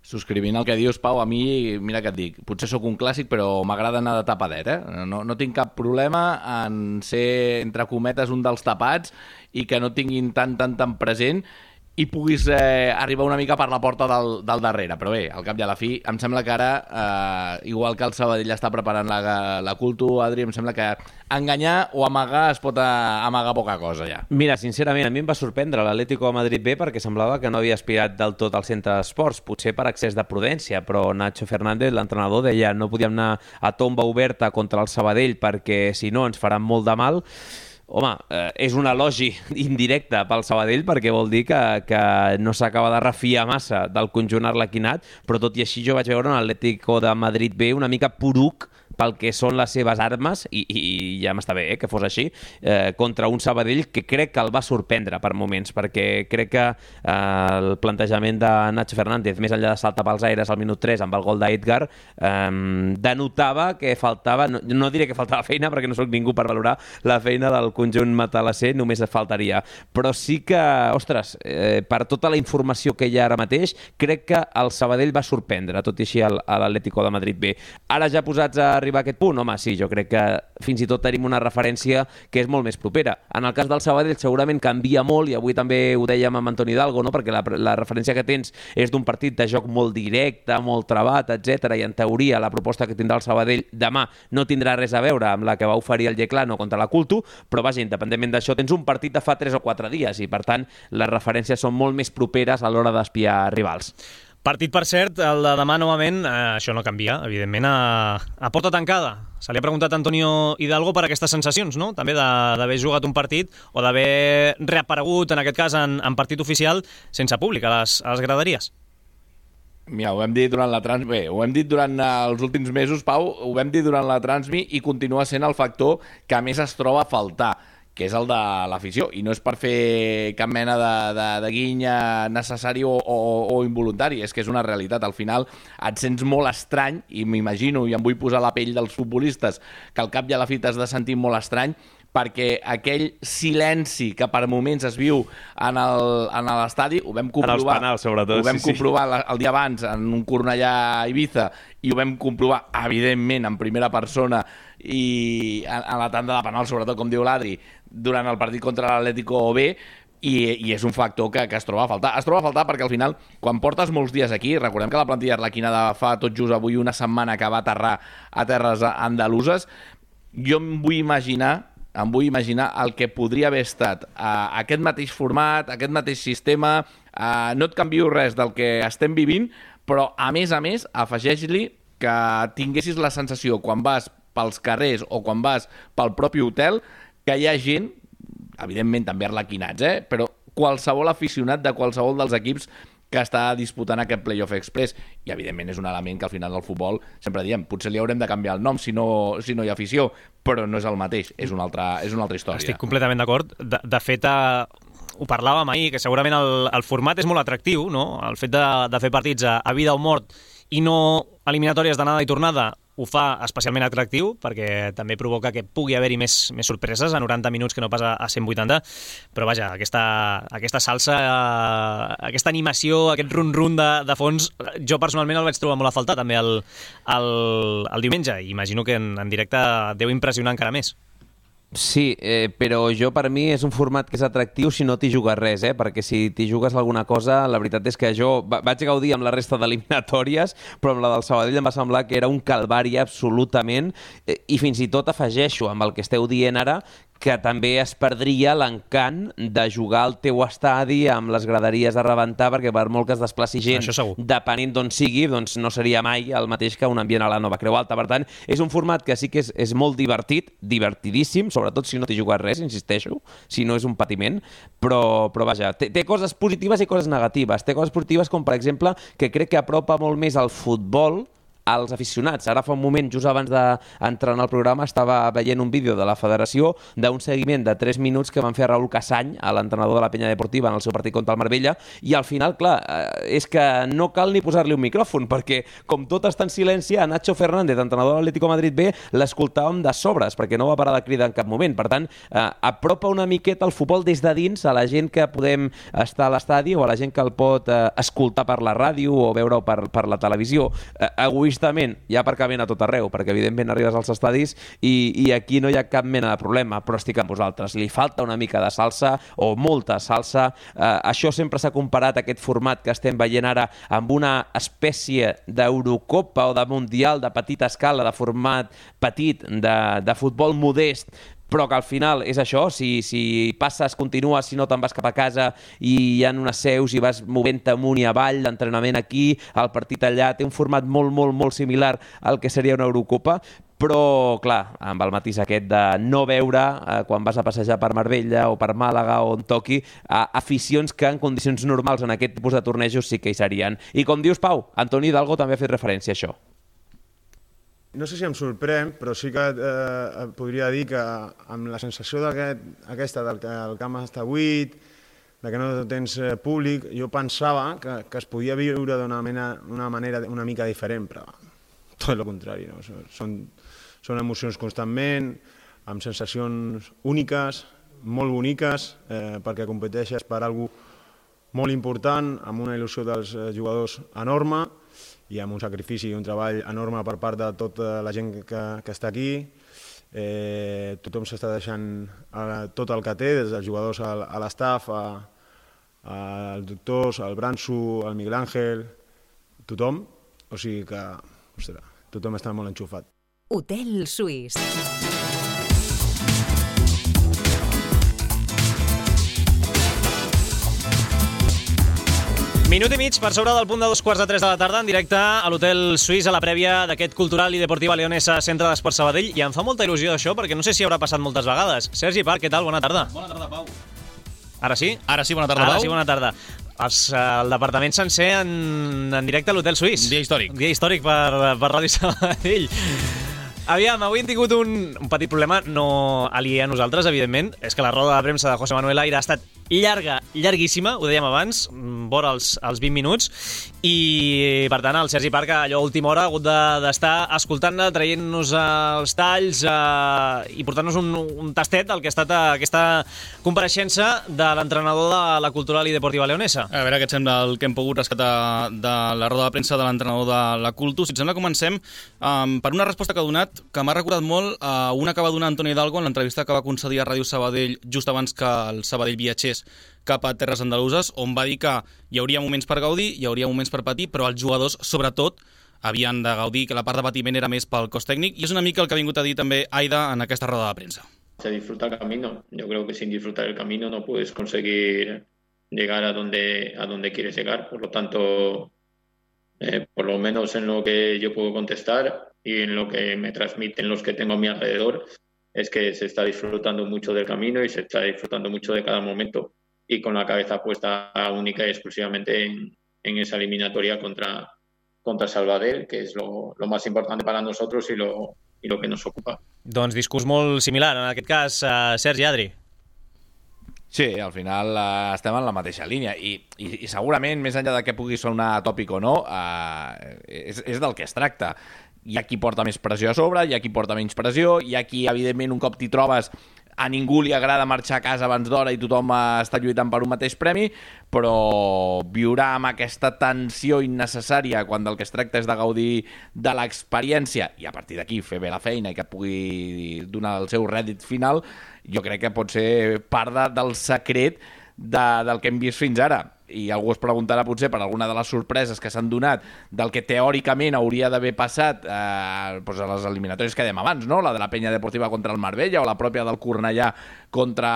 Subscrivint el que dius, Pau, a mi, mira què et dic, potser sóc un clàssic, però m'agrada anar de tapadet, eh? No, no tinc cap problema en ser, entre cometes, un dels tapats i que no tinguin tan, tan, tan present. i puguis eh, arribar una mica per la porta del, del darrere. Però bé, al cap i a la fi, em sembla que ara, eh, igual que el Sabadell està preparant la, la Culto, Adri, em sembla que enganyar o amagar es pot amagar poca cosa ja. Mira, sincerament, a mi em va sorprendre l'Atlético de Madrid B perquè semblava que no havia aspirat del tot al centre d'esports, potser per excés de prudència, però Nacho Fernández, l'entrenador, deia no podíem anar a tomba oberta contra el Sabadell perquè si no ens faran molt de mal. Home, eh, és un elogi indirecte pel Sabadell perquè vol dir que, que no s'acaba de refiar massa del conjunt arlequinat, però tot i així jo vaig veure un Atlético de Madrid B una mica poruc pel que són les seves armes, i, i ja m'està bé eh, que fos així, eh, contra un Sabadell que crec que el va sorprendre per moments, perquè crec que eh, el plantejament de Nacho Fernández, més enllà de saltar pels aires al minut tres amb el gol d'Edgar, eh, denotava que faltava, no, no diré que faltava feina perquè no sóc ningú per valorar la feina del conjunt matalasser, només faltaria, però sí que, ostres, eh, per tota la informació que hi ha ara mateix, crec que el Sabadell va sorprendre, tot i així a l'Atlético de Madrid B. Ara ja posats a arribar a aquest punt? Home, sí, jo crec que fins i tot tenim una referència que és molt més propera. En el cas del Sabadell segurament canvia molt, i avui també ho dèiem amb Antoni Hidalgo, no? Perquè la, la referència que tens és d'un partit de joc molt directe, molt travat, etcètera, i en teoria la proposta que tindrà el Sabadell demà no tindrà res a veure amb la que va oferir el Yeclano contra la Culto, però vaja, independentment d'això, tens un partit de fa tres o quatre dies i per tant les referències són molt més properes a l'hora d'espiar rivals. Partit, per cert, el de demà novament, eh, això no canvia, evidentment, a, a porta tancada. Se li ha preguntat a Antonio Hidalgo per aquestes sensacions, no? També d'haver jugat un partit o d'haver reaparegut, en aquest cas, en, en partit oficial, sense públic a les, a les graderies. Mira, ho hem dit durant la Transmi, bé, ho hem dit durant els últims mesos, Pau, ho vam dir durant la Transmi i continua sent el factor que més es troba a faltar, que és el de l'afició, i no és per fer cap mena de, de, de guinya necessari o, o, o involuntari, és que és una realitat. Al final et sents molt estrany, i m'imagino, i em vull posar la pell dels futbolistes, que al cap i a la fi t'has de sentir molt estrany, perquè aquell silenci que per moments es viu en l'estadi, ho vam comprovar, en els penals, sobretot, ho vam sí, comprovar sí. el dia abans en un Cornellà a Ibiza, i ho vam comprovar, evidentment, en primera persona i a, a la tanda de penal, sobretot, com diu l'Adri, durant el partit contra l'Atlético B, i, i és un factor que, que es troba a faltar. Es troba a faltar perquè al final, quan portes molts dies aquí, recordem que la plantilla arlequina de fa tot just avui una setmana que va aterrar a terres andaluses, jo em vull imaginar em vull imaginar el que podria haver estat uh, aquest mateix format, aquest mateix sistema, uh, no et canvio res del que estem vivint, però a més a més afegeix-li que tinguessis la sensació quan vas pels carrers o quan vas pel propi hotel que hi ha gent, evidentment també arlequinats, eh? però qualsevol aficionat de qualsevol dels equips que està disputant aquest Playoff Express, i evidentment és un element que al final del futbol sempre diem, potser li haurem de canviar el nom si no, si no hi ha afició, però no és el mateix, és una altra, és una altra història. Estic completament d'acord. De, de fet, eh, ho parlàvem ahir, que segurament el, el format és molt atractiu, no? El fet de, de fer partits a, a vida o mort i no eliminatòries d'anada i tornada ho fa especialment atractiu, perquè també provoca que pugui haver-hi més, més sorpreses a noranta minuts que no pas a, a cent vuitanta, però vaja, aquesta, aquesta salsa, eh, aquesta animació, aquest run-run de, de fons, jo personalment el vaig trobar molt a faltar també el, el, el diumenge, i imagino que en, en directe deu impressionar encara més. Sí, eh, però jo per mi és un format que és atractiu si no t'hi jugues res, eh? Perquè si t'hi jugues alguna cosa, la veritat és que jo vaig gaudir amb la resta d'eliminatòries, però amb la del Sabadell em va semblar que era un calvari absolutament, eh, i fins i tot afegeixo amb el que esteu dient ara, que també es perdria l'encant de jugar al teu estadi amb les graderies a rebentar, perquè per molt que es desplaci gent, depenent d'on sigui, doncs no seria mai el mateix que un ambient a la Nova Creu Alta. Per tant, és un format que sí que és, és molt divertit, divertidíssim, sobretot si no t'hi jugues res, insisteixo, si no és un patiment, però, però vaja, té, té coses positives i coses negatives. Té coses positives com, per exemple, que crec que apropa molt més al futbol als aficionats. Ara fa un moment, just abans d'entrar en el programa, estava veient un vídeo de la federació d'un seguiment de tres minuts que van fer a Raúl Casany, a l'entrenador de la Penya Deportiva, en el seu partit contra el Marbella, i al final, clar, és que no cal ni posar-li un micròfon, perquè com tot està en silenci, a Nacho Fernández, entrenador de l'Atlético de Madrid B, l'escoltàvem de sobres, perquè no va parar de cridar en cap moment. Per tant, eh, apropa una miqueta el futbol des de dins a la gent que podem estar a l'estadi o a la gent que el pot eh, escoltar per la ràdio o veure per, per la televisió. Eh, avui implícitament hi ha aparcament a tot arreu, perquè evidentment arribes als estadis i, i aquí no hi ha cap mena de problema, però estic amb vosaltres. Li falta una mica de salsa o molta salsa. Eh, això sempre s'ha comparat, aquest format que estem veient ara, amb una espècie d'Eurocopa o de Mundial de petita escala, de format petit, de, de futbol modest, però que al final és això, si, si passes, continues, si no te'n vas cap a casa i hi ha unes seus i vas movent-te amunt i avall, l'entrenament aquí, el partit allà, té un format molt, molt, molt similar al que seria una Eurocopa, però, clar, amb el matís aquest de no veure, eh, quan vas a passejar per Marbella o per Màlaga o on toqui, eh, aficions que en condicions normals en aquest tipus de tornejos sí que hi serien. I com dius, Pau, Antoni Hidalgo també ha fet referència a això. No sé si em sorprèn, però sí que eh, podria dir que amb la sensació d'aquest, aquesta del que el camp està buit, de que no tens eh, públic, jo pensava que, que es podia viure d'una una manera una mica diferent, però tot el contrari. No? Són, són emocions constantment, amb sensacions úniques, molt boniques, eh, perquè competeixes per alguna cosa molt important, amb una il·lusió dels jugadors enorme, i amb un sacrifici i un treball enorme per part de tota la gent que, que està aquí. Eh, tothom s'està deixant eh, tot el que té, des dels jugadors al, a l'estaf, als doctors, al Branso, al Miguel Ángel, tothom. O sigui que, ostres, tothom està molt enxufat. Hotel Suís. Minut i mig per sobre del punt de dos quarts de tres de la tarda, en directe a l'Hotel Suís, a la prèvia d'aquest Cultural i Deportiva Leonesa Centre d'Esport Sabadell. I em fa molta il·lusió això, perquè no sé si haurà passat moltes vegades. Sergi Parc, què tal? Bona tarda. Bona tarda, Pau. Ara sí? Ara sí, bona tarda, Ara Pau. sí, bona tarda. Els, el departament sencer en, en directe a l'Hotel Suís. Dia històric. Dia històric per, per Ràdio Sabadell. Aviam, avui hem tingut un, un petit problema, no aliè a nosaltres, evidentment. És que la roda de premsa de José Manuel Aire ha estat llarga, llarguíssima, ho dèiem abans, vora els, els vint minuts, i per tant el Sergi Parc allò a última hora ha hagut d'estar de, escoltant-ne, traient-nos els talls eh, i portant-nos un, un tastet del que ha estat aquesta compareixença de l'entrenador de la Cultural i Deportiva Leonesa. A veure què et sembla el que hem pogut rescatar de la roda de premsa de l'entrenador de la Cultu. Si et sembla, comencem um, per una resposta que ha donat que m'ha recordat molt a uh, una que va donar Antoni Hidalgo en l'entrevista que va concedir a Ràdio Sabadell just abans que el Sabadell viatgés cap a terres andaluses, on va dir que hi hauria moments per gaudir, hi hauria moments per patir, però els jugadors, sobretot, havien de gaudir, que la part de patiment era més pel cos tècnic, i és una mica el que ha vingut a dir també Aida en aquesta roda de premsa. Se disfruta el camino. Yo creo que sin disfrutar el camino no puedes conseguir llegar a donde, a donde quieres llegar. Por lo tanto, eh, por lo menos en lo que yo puedo contestar y en lo que me transmiten los que tengo a mi alrededor, es que se está disfrutando mucho del camino y se está disfrutando mucho de cada momento, y con la cabeza puesta única y exclusivamente en, en esa eliminatoria contra, contra Sabadell, que es lo, lo más importante para nosotros y lo, y lo que nos ocupa. Doncs discurs molt similar, en aquest cas, uh, Sergi, Adri. Sí, al final uh, estem en la mateixa línia i, i, i segurament, més enllà de que pugui sonar tòpic o no, uh, és, és del que es tracta. Hi ha qui porta més pressió a sobre, hi ha qui porta menys pressió, hi ha qui, evidentment, un cop t'hi trobes, a ningú li agrada marxar a casa abans d'hora i tothom està lluitant per un mateix premi, però viurà amb aquesta tensió innecessària quan del que es tracta és de gaudir de l'experiència i a partir d'aquí fer bé la feina i que pugui donar el seu rèdit final, jo crec que pot ser part de, del secret de, del que hem vist fins ara. I algú es preguntarà potser per alguna de les sorpreses que s'han donat del que teòricament hauria d'haver passat eh, doncs a les eliminatòries que dèiem abans, no? La de la Penya Deportiva contra el Marbella o la pròpia del Cornellà contra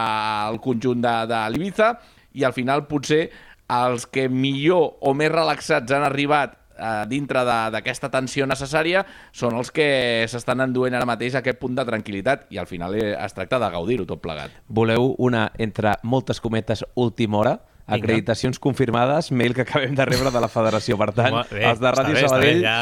el conjunt de, de l'Ibiza, i al final potser els que millor o més relaxats han arribat eh, dintre d'aquesta tensió necessària són els que s'estan enduent ara mateix a aquest punt de tranquil·litat, i al final es tracta de gaudir-ho tot plegat. Voleu una, entre moltes cometes, última hora? Acreditacions confirmades, mail que acabem de rebre de la federació. Per tant, bé, els de Ràdio Sabadell ja...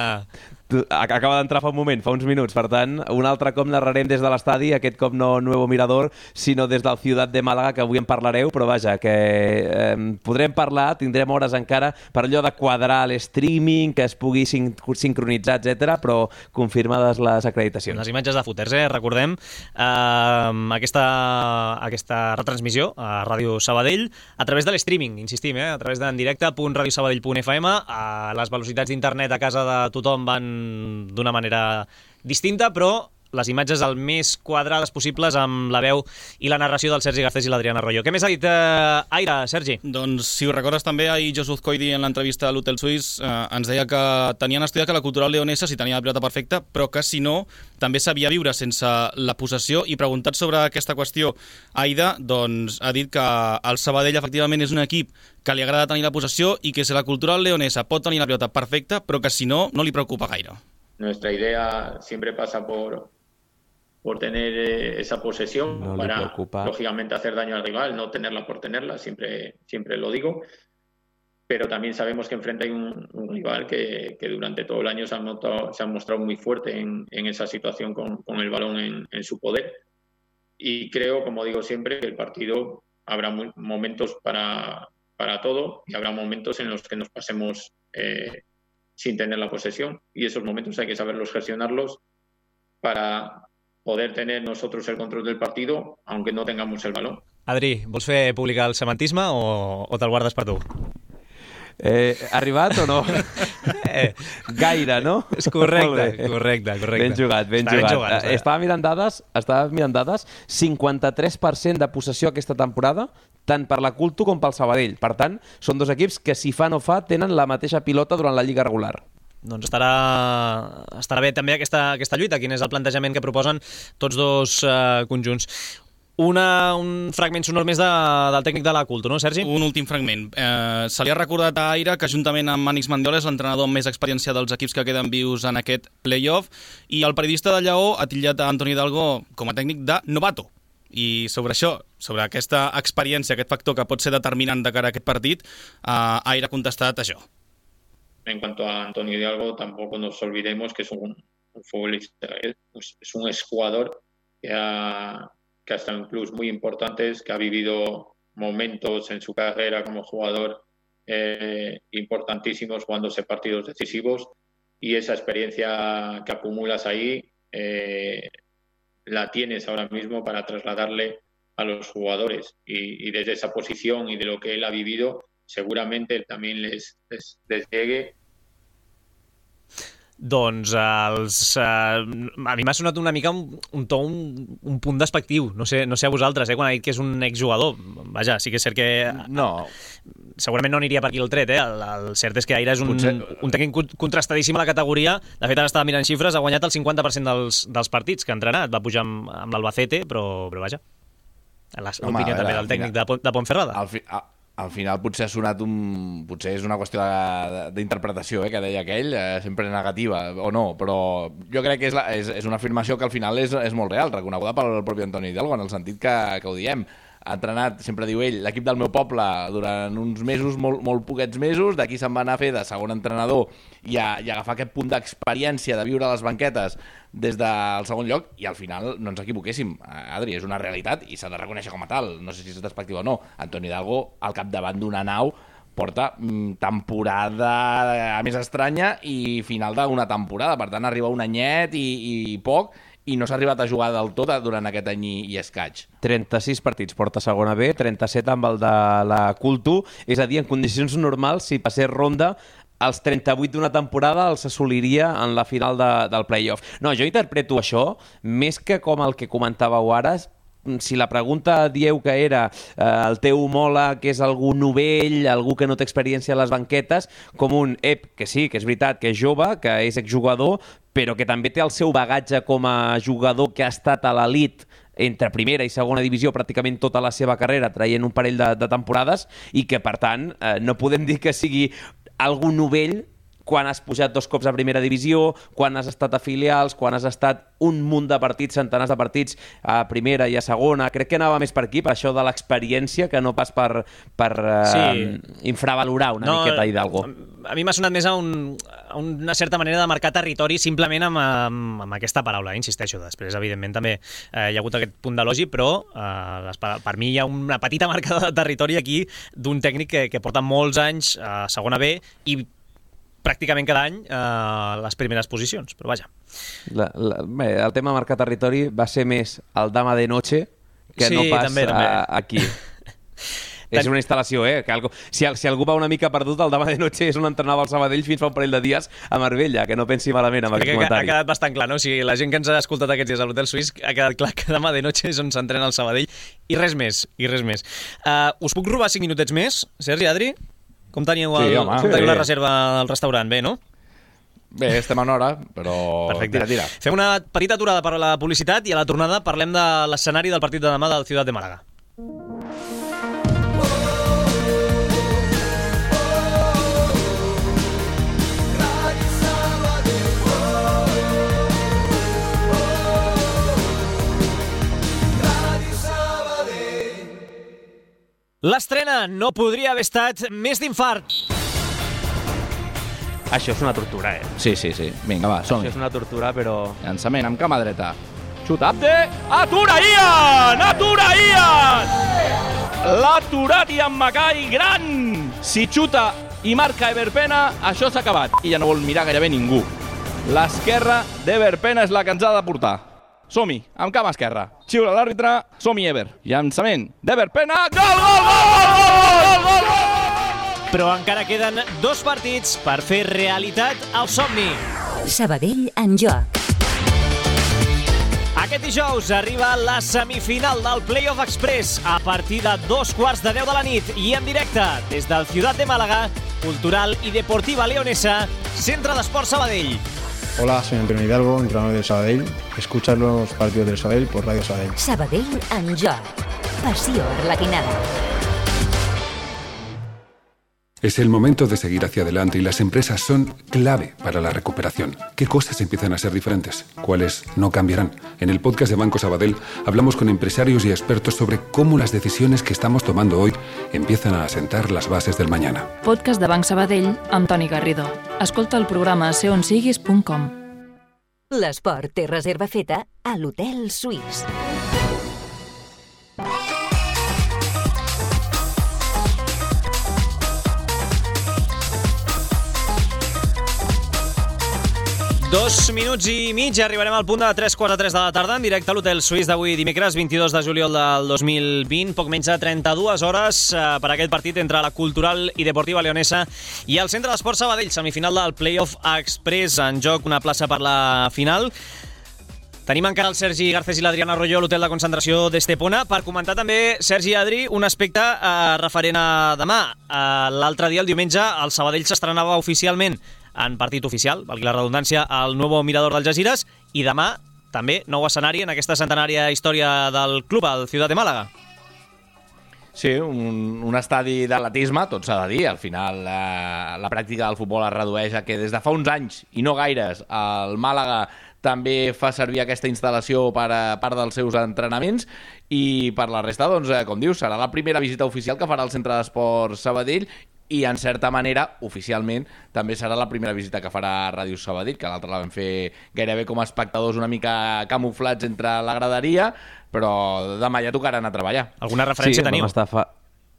acaba d'entrar fa un moment, fa uns minuts. Per tant, un altre cop narrarem des de l'estadi, aquest cop no Nuevo Mirador, sinó des del Ciutat de Màlaga, que avui en parlareu, però vaja, que eh, podrem parlar, tindrem hores encara per allò de quadrar l'streaming, que es pugui sin sincronitzar, etcètera, però confirmades les acreditacions. Les imatges de footers, eh? Recordem eh, aquesta, aquesta retransmissió a Ràdio Sabadell a través de l'streaming, insistim, eh? A través d'en directe punt radiosabadell punt f m. A les velocitats d'internet a casa de tothom van d'una manera distinta, però les imatges el més quadrades possibles amb la veu i la narració del Sergi Garcés i l'Adrián Arroyo. Què més ha dit eh, Aire, Sergi? Doncs, si ho recordes també, ahir Joseph Coidi en l'entrevista a l'Hotel Suís eh, ens deia que tenien estudiat que la cultural leonesa si tenia la pilota perfecta, però que si no, també sabia viure sense la possessió, i preguntat sobre aquesta qüestió, Aida doncs, ha dit que el Sabadell efectivament és un equip que li agrada tenir la possessió i que si la cultural leonesa pot tenir la pilota perfecta, però que si no, no li preocupa gaire. Nuestra idea siempre pasa por por tener esa posesión no para, lógicamente, hacer daño al rival, no tenerla por tenerla, siempre, siempre lo digo, pero también sabemos que enfrente hay un, un rival que, que durante todo el año se ha, notado, se ha mostrado muy fuerte en, en esa situación con, con el balón en, en su poder, y creo, como digo siempre, que el partido habrá muy, momentos para, para todo, y habrá momentos en los que nos pasemos eh, sin tener la posesión, y esos momentos hay que saberlos gestionarlos para poder tener nosotros el control del partido, aunque no tengamos el balón. Adri, vols fer pública el semantisme o, o te'l guardes per tu? Eh, arribat o no? eh, gaire, no? És correcte, correcte, correcte. Ben jugat, ben Està jugat. Ben jugat eh, estava mirant dades, estava mirant dades, cinquanta-tres per cent de possessió aquesta temporada, tant per la Culto com pel Sabadell. Per tant, són dos equips que, si fa no fa, tenen la mateixa pilota durant la Lliga regular. Doncs estarà, estarà bé també aquesta, aquesta lluita. Quin és el plantejament que proposen tots dos eh, conjunts? Una, un fragment sonor més de, del tècnic de la Culto, no, Sergi? Un últim fragment. Eh, se li ha recordat a Aire que, juntament amb Manix Mandiola, és l'entrenador amb més experiència dels equips que queden vius en aquest play-off, i el periodista de Lleó ha titllat a Antoni Hidalgo com a tècnic de novato. I sobre això, sobre aquesta experiència, aquest factor que pot ser determinant de cara a aquest partit, eh, Aire ha contestat això. En cuanto a Antonio Hidalgo, tampoco nos olvidemos que es un, un futbolista, es, es un exjugador que ha, que ha estado en clubes muy importantes, que ha vivido momentos en su carrera como jugador eh, importantísimos, jugándose partidos decisivos, y esa experiencia que acumulas ahí eh, la tienes ahora mismo para trasladarle a los jugadores, y, y desde esa posición y de lo que él ha vivido, seguramente también les, les, les llegue. Doncs els, uh, a mi m'ha sonat una mica un, un to, un, un punt despectiu. No sé, no sé a vosaltres, eh, quan ha dit que és un exjugador. Vaja, sí que és cert que... No. Segurament no aniria per aquí el tret, eh? El, el cert és que Aire és un, Potser... un tècnic contrastadíssim a la categoria. De fet, ara estava mirant xifres, ha guanyat el cinquanta per cent dels, dels partits que ha entrenat. Va pujar amb, amb l'Albacete, però, però vaja. L'opinió també del tècnic de, de Ponferrada. Al, fi, a, al final potser ha sonat un... Potser és una qüestió d'interpretació, eh, que deia aquell, eh, sempre negativa, o no, però jo crec que és, la, és, és una afirmació que al final és, és molt real, reconeguda pel propi Antoni Hidalgo, en el sentit que, que ho diem. Ha entrenat, sempre diu ell, l'equip del meu poble durant uns mesos, molt, molt poquets mesos, d'aquí se'n va anar a fer de segon entrenador i a, i a agafar aquest punt d'experiència de viure a les banquetes des del segon lloc, i al final no ens equivoquéssim, Adri, és una realitat i s'ha de reconèixer com a tal, no sé si és despectiu o no. Antoni Hidalgo, al capdavant d'una nau, porta mm, temporada a més estranya i final d'una temporada, per tant arriba un anyet i, i poc, i no s'ha arribat a jugar del tot durant aquest any i, i escaig. trenta-sis partits porta segona B, trenta-set amb el de la Culto, és a dir, en condicions normals, si passés ronda, els trenta-vuit d'una temporada els assoliria en la final de, del play-off. No, jo interpreto això, més que com el que comentàveu ara, si la pregunta dieu que era eh, el teu homòleg, que és algú novell, algú que no té experiència a les banquetes, com un ep, que sí, que és veritat, que és jove, que és exjugador, però que també té el seu bagatge com a jugador que ha estat a l'elit entre primera i segona divisió pràcticament tota la seva carrera, traient un parell de, de temporades, i que, per tant, eh, no podem dir que sigui algú novell quan has pujat dos cops a primera divisió, quan has estat a filials, quan has estat un munt de partits, centenars de partits a primera i a segona. Crec que anava més per aquí, per això de l'experiència, que no pas per, per sí. eh, infravalorar una no, miqueta Hidalgo. A mi m'ha sonat més a, un, a una certa manera de marcar territori simplement amb, amb, amb aquesta paraula, insisteixo. Després, evidentment, també eh, hi ha hagut aquest punt d'elogi, però eh, les, per mi hi ha una petita marca de territori aquí d'un tècnic que, que porta molts anys a segona B i pràcticament cada any eh, les primeres posicions, però vaja. La, la, bé, el tema marcar territori va ser més el Dama de Noche que sí, no pas també, també. A, aquí. És una instal·lació, eh? Que algo... si, si algú va una mica perdut, el demà de noche és on entrenava el Sabadell fins fa un parell de dies a Marbella, que no pensi malament amb aquest comentari. Ha quedat bastant clar, no? O sigui, la gent que ens ha escoltat aquests dies a l'Hotel Suís ha quedat clar que demà de noche és on s'entrena el Sabadell i res més, i res més. Uh, us puc robar cinc minutets més, Sergi, Adri? Com teníeu, el, sí, home, com teniu sí. la reserva al restaurant? Bé, no? Bé, estem en hora, però... Perfecte. Tira, tira. Fem una petita aturada per a la publicitat i a la tornada parlem de l'escenari del partit de demà del Ciutat de Màlaga. L'estrena no podria haver estat més d'infart. Això és una tortura, eh? Sí, sí, sí. Vinga, va, som-hi. Això és una tortura, però... Llançament amb cama dreta. Xuta, Abde! Atura Ian! Atura Ian! L'ha aturat Ian Mackay, gran! Si xuta i marca Everpena, això s'ha acabat. I ja no vol mirar gairebé ningú. L'esquerra d'Everpena és la que ens ha de portar. Som-hi, amb cama esquerra. Xiula l'àrbitre, som-hi Ever. Llançament d'Everpena, gol, gol, gol, gol, gol, gol! Però encara queden dos partits per fer realitat el somni. Sabadell en joc. Aquest dijous arriba la semifinal del Playoff Express a partir de dos quarts de deu de la nit i en directe des del Ciutat de Málaga, Cultural y Deportiva Leonesa, Centre d'Esport Sabadell. Hola, soy Antonio Hidalgo, entrenador del Sabadell. Escuchar los partidos del Sabadell por Radio Sabadell. Sabadell en joc. Passió arlequinada. Es el momento de seguir hacia adelante y las empresas son clave para la recuperación. ¿Qué cosas empiezan a ser diferentes? ¿Cuáles no cambiarán? En el podcast de Banco Sabadell hablamos con empresarios y expertos sobre cómo las decisiones que estamos tomando hoy empiezan a asentar las bases del mañana. Podcast de Banc Sabadell amb Toni Garrido. Escolta el programa a seonsiguis punt com. L'esport té reserva feta a l'Hotel Suís. Dos minuts i mig, arribarem al punt de tres quarts de tres de la tarda en directe a l'Hotel Suís d'avui dimecres vint-i-dos de juliol del dos mil vint, poc menys de trenta-dues hores eh, per aquest partit entre la Cultural i Deportiva Leonesa i el Centre d'Esport Sabadell, semifinal del Playoff Express, en joc una plaça per la final. Tenim encara el Sergi Garcés i l'Adriana Arroyo a l'hotel de concentració d'Estepona per comentar també, Sergi i Adri, un aspecte eh, referent a demà. Eh, l'altre dia, el diumenge, el Sabadell s'estrenava oficialment en partit oficial, valgui la redundància, al Nuevo Mirador d'Algesires, i demà també nou escenari en aquesta centenària història del club, al Ciutat de Màlaga. Sí, un, un estadi d'atletisme, tot s'ha de dir. Al final eh, la pràctica del futbol es redueix a que des de fa uns anys, i no gaires, el Màlaga també fa servir aquesta instal·lació per a part dels seus entrenaments i per la resta, doncs, eh, com dius, serà la primera visita oficial que farà el Centre d'Esport Sabadell i, en certa manera, oficialment, també serà la primera visita que farà Ràdio Sabadell, que l'altra la vam fer gairebé com a espectadors una mica camuflats entre la graderia, però demà ja tocarà anar a treballar. Alguna referència sí, teniu? Fa...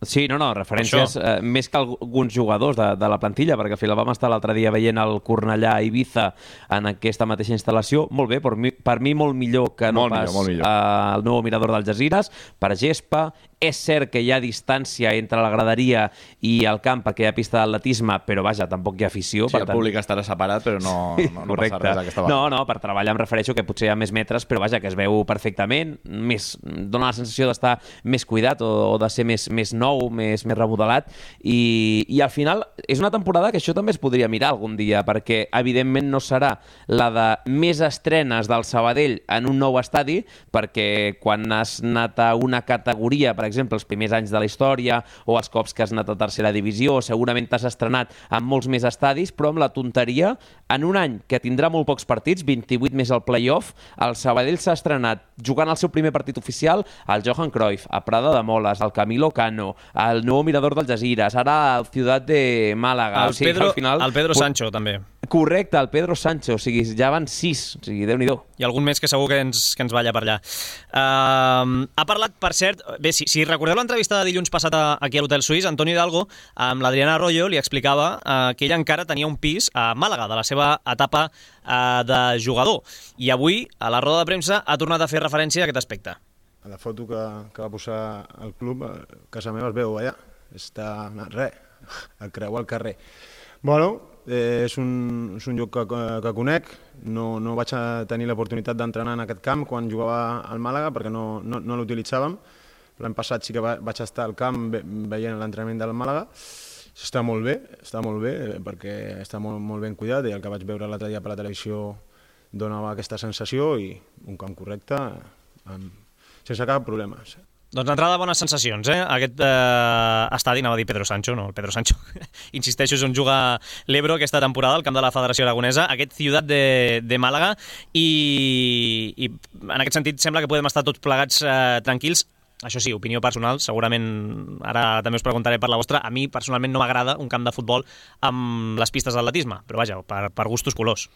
Sí, no, no, referències eh, més que alguns jugadors de, de la plantilla, perquè al final vam estar l'altre dia veient el Cornellà a Ibiza en aquesta mateixa instal·lació. Molt bé, per mi, per mi molt millor que no molt pas millor, millor. al nou Mirador d'Algesires, per gespa. És cert que hi ha distància entre la graderia i el camp perquè hi ha pista d'atletisme, però vaja, tampoc hi ha afició. Sí, per el tant... públic estarà separat, però no, no, no passa res aquesta vegada. No, no, per treballar em refereixo que potser hi ha més metres, però vaja, que es veu perfectament, més, dona la sensació d'estar més cuidat o, o de ser més, més nou, més, més remodelat, i, i al final és una temporada que això també es podria mirar algun dia, perquè evidentment no serà la de més estrenes del Sabadell en un nou estadi, perquè quan has anat a una categoria, per exemple, els primers anys de la història o els cops que has anat a tercera divisió, segurament t'has estrenat en molts més estadis, però amb la tonteria, en un any que tindrà molt pocs partits, vint-i-vuit més el playoff, el Sabadell s'ha estrenat jugant el seu primer partit oficial al Johan Cruyff, a Prada de Moles, al Camilo Cano, al nou Mirador d'Algesires, ara al Ciutat de Màlaga. El, o sigui, Pedro, al final... el Pedro Sancho, també. Correcte, el Pedro Sancho, o sigui, ja van sis, o sigui, Déu-n'hi-do. I algun més que segur que ens, que ens balla per allà. Uh, ha parlat, per cert, bé, si, si recordeu l'entrevista de dilluns passat aquí a l'Hotel Suís, Antonio Hidalgo, amb l'Adriana Arroyo, li explicava uh, que ell encara tenia un pis a Màlaga, de la seva etapa uh, de jugador. I avui, a la roda de premsa, ha tornat a fer referència a aquest aspecte. a la foto que, que va posar el club, a casa meva es veu allà, està res, a creuar el carrer. Bueno, eh, és, un, és un lloc que, que conec, no, no vaig tenir l'oportunitat d'entrenar en aquest camp quan jugava al Màlaga perquè no, no, no l'utilitzàvem. L'any passat sí que va, vaig estar al camp ve, veient l'entrenament del Màlaga. Està molt bé, està molt bé perquè està molt, molt ben cuidat i el que vaig veure l'altre dia per la televisió donava aquesta sensació i un camp correcte amb, sense cap problema. Doncs d'entrada, bones sensacions, eh? Aquest eh, estadi, anava a dir Pedro Sancho, no, el Pedro Sancho, insisteixo, és on juga l'Ebro aquesta temporada, al camp de la Federació Aragonesa, aquest Ciutat de, de Màlaga, i, i en aquest sentit sembla que podem estar tots plegats eh, tranquils. Això sí, opinió personal, segurament ara també us preguntaré per la vostra. A mi personalment no m'agrada un camp de futbol amb les pistes d'atletisme, però vaja, per, per gustos colors.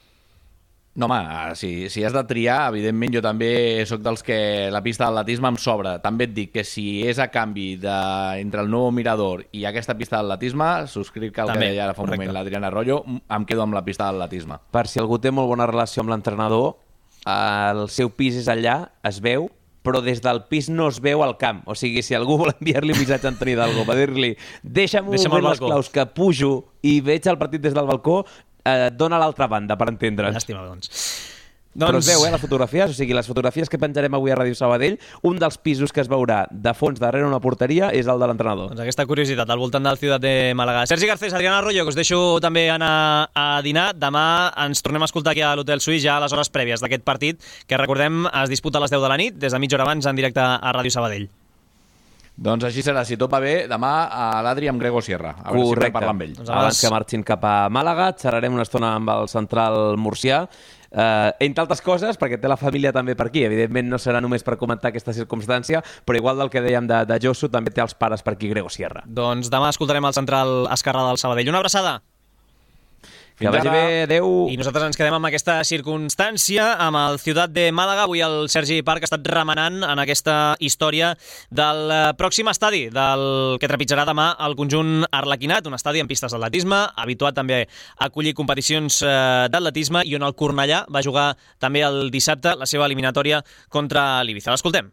No, home, si, si has de triar, evidentment jo també sóc dels que la pista d'atletisme em sobra. També et dic que si és a canvi de, entre el nou Mirador i aquesta pista d'atletisme, subscric el també, que deia ara fa un correcte. moment l'Adriana Arroyo, em quedo amb la pista d'atletisme. Per si algú té molt bona relació amb l'entrenador, el seu pis és allà, es veu, però des del pis no es veu al camp. O sigui, si algú vol enviar-li un missatge a Antoni Hidalgo per dir-li deixa'm un moment les claus que pujo i veig el partit des del balcó, eh, dona l'altra banda, per entendre'ns. Llàstima, doncs. Doncs... Però es veu, eh, les fotografies, o sigui, les fotografies que penjarem avui a Ràdio Sabadell, un dels pisos que es veurà de fons darrere una porteria és el de l'entrenador. Doncs aquesta curiositat al voltant del Ciutat de Màlaga. Sergi Garcés, Adriana Arroyo, que us deixo també anar a dinar. Demà ens tornem a escoltar aquí a l'Hotel Suís ja a les hores prèvies d'aquest partit, que recordem es disputa a les deu de la nit, des de mitja hora abans en directe a Ràdio Sabadell. Doncs així serà, si tot va bé, demà a l'Adri amb Grego Sierra. A veure Correcte. si parlar amb ell. Doncs abans que marxin cap a Màlaga, xerrarem una estona amb el central murcià, Uh, entre altres coses, perquè té la família també per aquí. Evidentment no serà només per comentar aquesta circumstància, però igual del que dèiem de, de Josu, també té els pares per aquí, Grego Sierra. Doncs demà escoltarem el central esquerrà del Sabadell. Una abraçada! Que vagi bé, adeu. I nosaltres ens quedem amb aquesta circumstància, amb el Ciutat de Màlaga. Avui el Sergi Parc ha estat remenant en aquesta història del pròxim estadi, del que trepitjarà demà el conjunt arlequinat, un estadi amb pistes d'atletisme, habituat també a acollir competicions d'atletisme, i on el Cornellà va jugar també el dissabte la seva eliminatòria contra l'Ibiza. L'escoltem.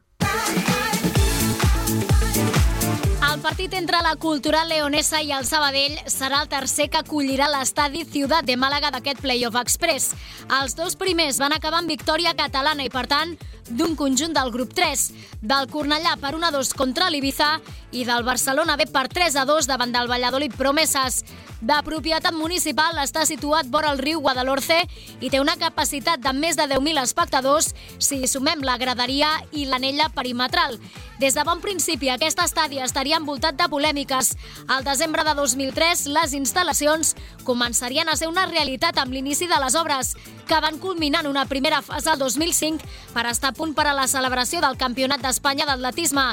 El partit entre la Cultural Leonesa i el Sabadell serà el tercer que acollirà l'estadi Ciutat de Màlaga d'aquest Playoff Express. Els dos primers van acabar amb victòria catalana i, per tant, d'un conjunt del grup tres, del Cornellà per un a dos contra l'Ibiza i del Barcelona B per tres a dos davant del Valladolid Promesas. De propietat municipal, està situat vora el riu Guadalhorce i té una capacitat de més de deu mil espectadors si hi sumem la graderia i l'anella perimetral. Des de bon principi, aquest estadi estaria envoltat de polèmiques. Al desembre de dos mil tres, les instal·lacions començarien a ser una realitat amb l'inici de les obres, que van culminar en una primera fase el dos mil cinc per estar a punt per a la celebració del Campionat d'Espanya d'atletisme.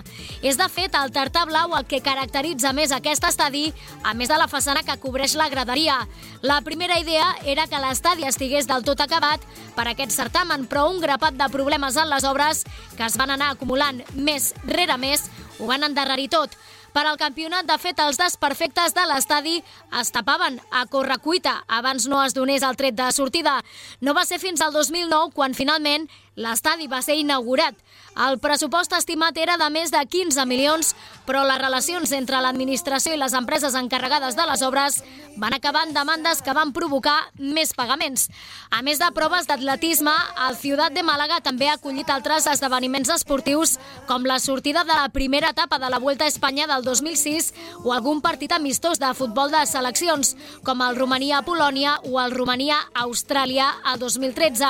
És, de fet, el tartà blau el que caracteritza més aquest estadi, a més de la façana que cobreix la graderia. La primera idea era que l'estadi estigués del tot acabat per aquest certamen, però un grapat de problemes en les obres que es van anar acumulant mes rere mes ho van endarrerir tot. Per al campionat, de fet, els desperfectes de l'estadi es tapaven a correcuita abans no es donés el tret de sortida. No va ser fins al dos mil nou quan finalment l'estadi va ser inaugurat. El pressupost estimat era de més de quinze milions, però les relacions entre l'administració i les empreses encarregades de les obres van acabar en demandes que van provocar més pagaments. A més de proves d'atletisme, el Ciutat de Màlaga també ha acollit altres esdeveniments esportius, com la sortida de la primera etapa de la Vuelta a Espanya del dos mil sis o algun partit amistós de futbol de seleccions, com el Romania-Polònia o el Romania-Austràlia el dos mil tretze.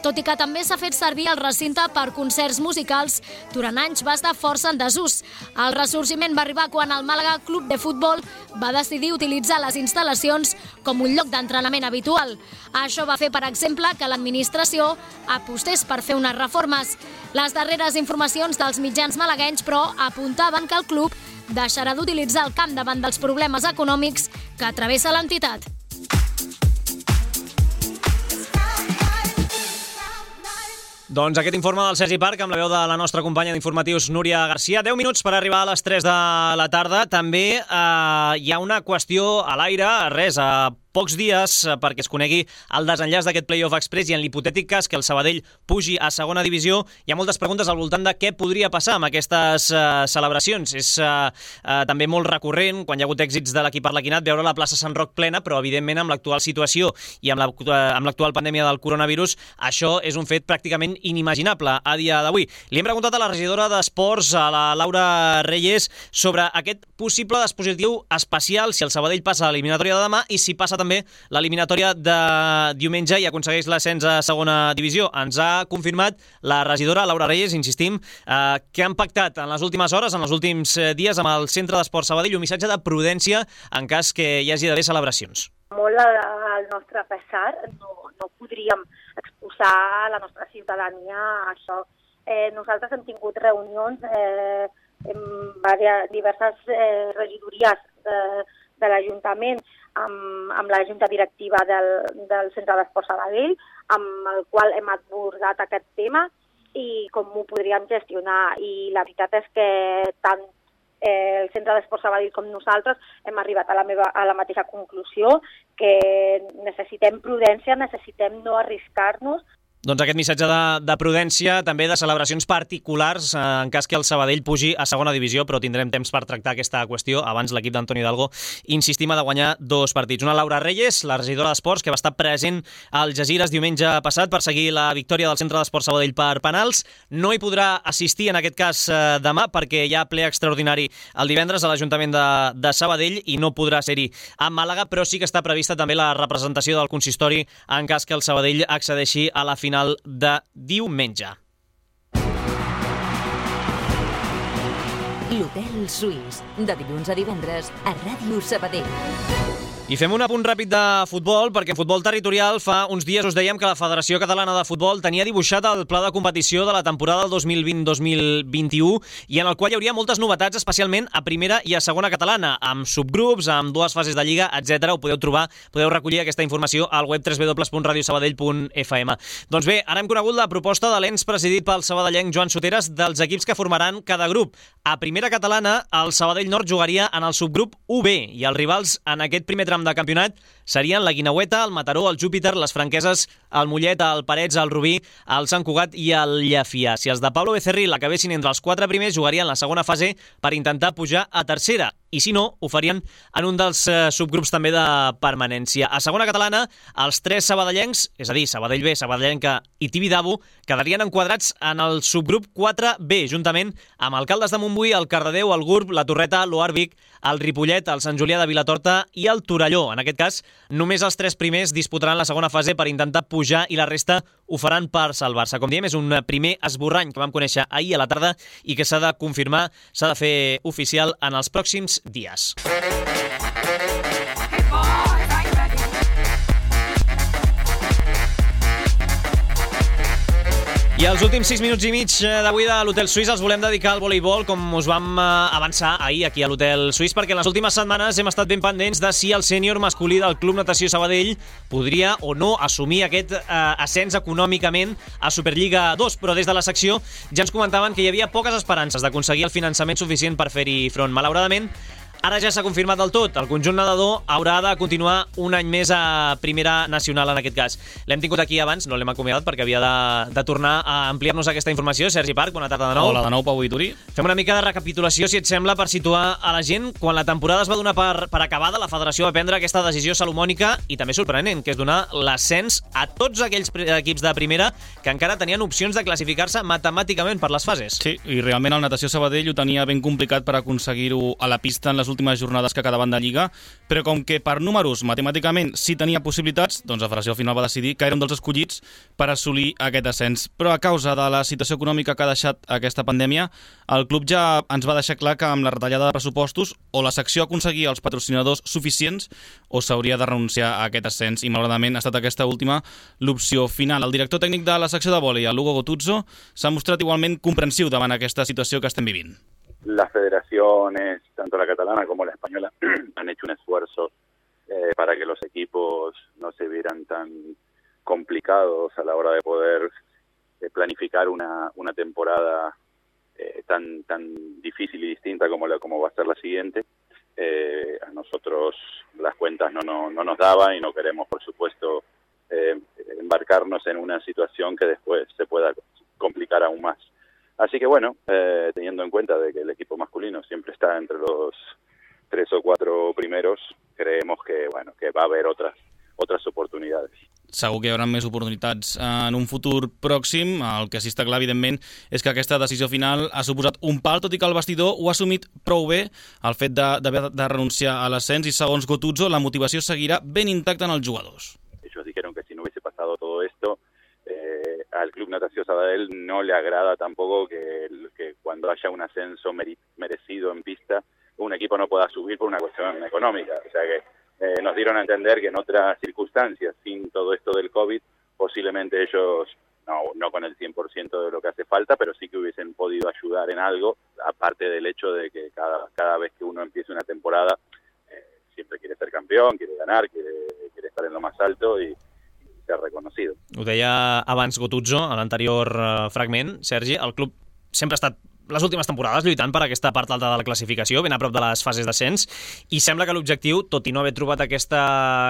Tot i que també s'ha fet servir el recinte per concerts musicals, durant anys va estar força en desús. El ressorgiment va arribar quan el Màlaga Club de Futbol va decidir utilitzar les instal·lacions com un lloc d'entrenament habitual. Això va fer, per exemple, que l'administració apostés per fer unes reformes. Les darreres informacions dels mitjans malaguenys, però, apuntaven que el club deixarà d'utilitzar el camp davant dels problemes econòmics que travessa l'entitat. Doncs aquest informe del Sergi Parc amb la veu de la nostra companya d'informatius Núria Garcia. deu minuts per arribar a les tres de la tarda. També eh, hi ha una qüestió a l'aire, res, a pocs dies perquè es conegui el desenllaç d'aquest Playoff Express i en l'hipotètic cas que el Sabadell pugi a segona divisió, hi ha moltes preguntes al voltant de què podria passar amb aquestes uh, celebracions. És uh, uh, també molt recurrent, quan hi ha hagut èxits de l'equip arlequinat, veure la plaça Sant Roc plena, però evidentment amb l'actual situació i amb l'actual pandèmia del coronavirus, això és un fet pràcticament inimaginable a dia d'avui. Li hem preguntat a la regidora d'Esports, a la Laura Reyes, sobre aquest possible dispositiu especial si el Sabadell passa a l'eliminatòria de demà i si passa també l'eliminatòria de diumenge i aconsegueix l'ascens a segona divisió. Ens ha confirmat la regidora Laura Reyes, insistim, eh, que han pactat en les últimes hores, en els últims dies, amb el Centre d'Esports Sabadell un missatge de prudència en cas que hi hagi d'haver celebracions. Molt al nostre pesar, no, no podríem exposar la nostra ciutadania a això. Eh, nosaltres hem tingut reunions eh, en diverses eh, regidories de, de l'Ajuntament amb, amb la Junta Directiva del, del Centre d'Esports Sabadell, amb el qual hem abordat aquest tema i com ho podríem gestionar. I la veritat és que tant eh, el Centre d'Esports Sabadell com nosaltres hem arribat a la, meva, a la mateixa conclusió, que necessitem prudència, necessitem no arriscar-nos. Doncs aquest missatge de, de prudència, també de celebracions particulars, eh, en cas que el Sabadell pugi a segona divisió, però tindrem temps per tractar aquesta qüestió. Abans l'equip d'Antoni Hidalgo insistim a de guanyar dos partits. Una Laura Reyes, la regidora d'Esports, que va estar present al Jazires diumenge passat per seguir la victòria del Centre d'Esports Sabadell per penals. No hi podrà assistir en aquest cas eh, demà perquè hi ha ple extraordinari el divendres a l'Ajuntament de, de Sabadell i no podrà ser-hi a Màlaga, però sí que està prevista també la representació del consistori en cas que el Sabadell accedeixi a la final de diumenge. L'Hotel Suís, de dilluns a divendres a Ràdio Sabadell. I fem un apunt ràpid de futbol, perquè en futbol territorial fa uns dies us dèiem que la Federació Catalana de Futbol tenia dibuixat el pla de competició de la temporada del dos mil vint dos mil vint-i-u i en el qual hi hauria moltes novetats, especialment a primera i a segona catalana, amb subgrups, amb dues fases de lliga, etcètera. Ho podeu trobar, podeu recollir aquesta informació al web w w w punt radio sabadell punt f m. Doncs bé, ara hem conegut la proposta de l'ens presidit pel sabadellenc Joan Soteres dels equips que formaran cada grup. A primera catalana, el Sabadell Nord jugaria en el subgrup u be i els rivals en aquest primer tram de campionat serien la Guineueta, el Mataró, el Júpiter, les Franqueses, el Mollet, el Parets, el Rubí, el Sant Cugat i el Llefià. Si els de Pablo Becerril acabessin entre els quatre primers, jugarien la segona fase per intentar pujar a tercera. I si no, ho farien en un dels eh, subgrups també de permanència. A segona catalana, els tres sabadellencs, és a dir, Sabadell B, Sabadellenca i Tibidabo, quedarien enquadrats en el subgrup quatre be, juntament amb el Caldes de Montbui, el Cardedeu, el Gurb, la Torreta, l'Oarvic, el Ripollet, el Sant Julià de Vilatorta i el Torelló. En aquest cas, només els tres primers disputaran la segona fase per intentar pujar i la resta ho faran per salvar-se. Com diem, és un primer esborrany que vam conèixer ahir a la tarda i que s'ha de confirmar, s'ha de fer oficial en els pròxims dies. I els últims sis minuts i mig d'avui de l'Hotel Suís els volem dedicar al voleibol, com us vam avançar ahir aquí a l'Hotel Suís, perquè en les últimes setmanes hem estat ben pendents de si el sènior masculí del Club Natació Sabadell podria o no assumir aquest eh, ascens econòmicament a Superliga dos, però des de la secció ja ens comentaven que hi havia poques esperances d'aconseguir el finançament suficient per fer-hi front. Malauradament, ara ja s'ha confirmat del tot. El conjunt nedador haurà de continuar un any més a primera nacional en aquest cas. L'hem tingut aquí abans, no l'hem acomiadat perquè havia de, de tornar a ampliar-nos aquesta informació. Sergi Parc, bona tarda de nou. Hola de nou, Pau Vituri. Fem una mica de recapitulació, si et sembla, per situar a la gent. Quan la temporada es va donar per, per acabada, la federació va prendre aquesta decisió salomònica i també sorprenent, que és donar l'ascens a tots aquells equips de primera que encara tenien opcions de classificar-se matemàticament per les fases. Sí, i realment el Natació Sabadell ho tenia ben complicat per aconseguir-ho a la pista en les últimes jornades que quedaven de Lliga, però com que per números matemàticament sí tenia possibilitats, doncs la federació al final va decidir que era un dels escollits per assolir aquest ascens. Però a causa de la situació econòmica que ha deixat aquesta pandèmia, el club ja ens va deixar clar que amb la retallada de pressupostos o la secció aconseguia els patrocinadors suficients o s'hauria de renunciar a aquest ascens, i malauradament ha estat aquesta última l'opció final. El director tècnic de la secció de vòlei, el Lugo Gotuzzo, s'ha mostrat igualment comprensiu davant aquesta situació que estem vivint. Las federaciones, tanto la catalana como la española, han hecho un esfuerzo eh, para que los equipos no se vieran tan complicados a la hora de poder eh, planificar una, una temporada eh, tan, tan difícil y distinta como, la, como va a ser la siguiente. eh, a nosotros las cuentas no, no, no nos daban y no queremos, por supuesto, eh, embarcarnos en una situación que después se pueda complicar aún más. Así que bueno, eh, teniendo en cuenta de que el equipo masculino siempre está entre los tres o cuatro primeros, creemos que bueno que va a haber otras otras oportunidades. Segur que hi haurà més oportunitats en un futur pròxim. El que sí està clar, evidentment, és que aquesta decisió final ha suposat un pal, tot i que el vestidor ho ha assumit prou bé, el fet d'haver de, de renunciar a l'ascens, i segons Gottuso, la motivació seguirà ben intacta en els jugadors. Ellos dijeron que si no hubiese pasado todo esto, eh, al Club Natació Sabadell no le agrada tampoco que, que cuando haya un ascenso merecido en pista, un equipo no pueda subir por una cuestión económica. O sea que Eh, nos dieron a entender que en otras circunstancias, sin todo esto del COVID, posiblemente ellos, no, no con el cien por ciento de lo que hace falta, pero sí que hubiesen podido ayudar en algo, aparte del hecho de que cada, cada vez que uno empiece una temporada, eh, siempre quiere ser campeón, quiere ganar, quiere, quiere estar en lo más alto y, y ser reconocido. Ho deia abans Gottuso, a l'anterior uh, fragment, Sergi, el club sempre ha estat les últimes temporades lluitant per aquesta part alta de la classificació, ben a prop de les fases d'ascens, i sembla que l'objectiu, tot i no haver trobat aquesta,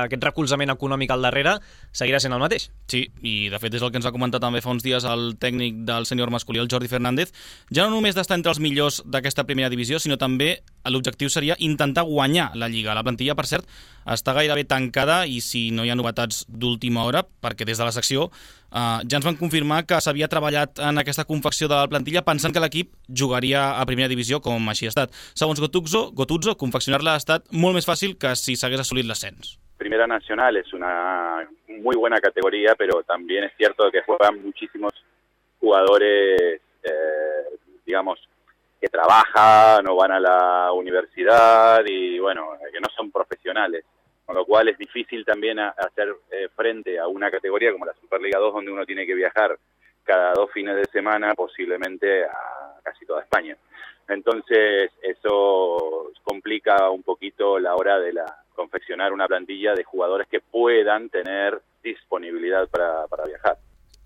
aquest recolzament econòmic al darrere, seguirà sent el mateix. Sí, i de fet és el que ens va comentar també fa uns dies el tècnic del sènior masculí, el Jordi Fernández, ja no només d'estar entre els millors d'aquesta primera divisió, sinó també l'objectiu seria intentar guanyar la Lliga. La plantilla, per cert, està gairebé tancada, i si no hi ha novetats d'última hora, perquè des de la secció Uh, ja ens van confirmar que s'havia treballat en aquesta confecció de la plantilla pensant que l'equip jugaria a primera divisió, com així ha estat. Segons Gottuso, Gottuso confeccionar-la ha estat molt més fàcil que si s'hagués assolit l'ascens. Primera Nacional es una muy buena categoría, pero también es cierto que juegan muchísimos jugadores, eh, digamos, que trabajan o van a la universidad y, bueno, que no son profesionales. Con lo cual es difícil también a, a hacer eh, frente a una categoría como la Superliga dos, donde uno tiene que viajar cada dos fines de semana, posiblemente a casi toda España. Entonces eso complica un poquito la hora de la confeccionar una plantilla de jugadores que puedan tener disponibilidad para, para viajar.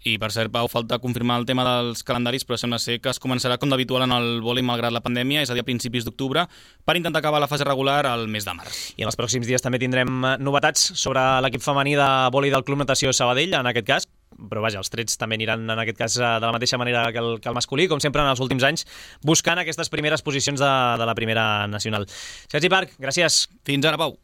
I, per cert, Pau, falta confirmar el tema dels calendaris, però sembla ser que es començarà com d'habitual en el vòlei malgrat la pandèmia, és a dir, a principis d'octubre, per intentar acabar la fase regular al mes de març. I en els pròxims dies també tindrem novetats sobre l'equip femení de vòlei del Club Natació Sabadell, en aquest cas, però vaja, els trets també aniran en aquest cas de la mateixa manera que el, que el masculí, com sempre en els últims anys, buscant aquestes primeres posicions de, de la primera nacional. Sergi Parc, gràcies. Fins ara, Pau.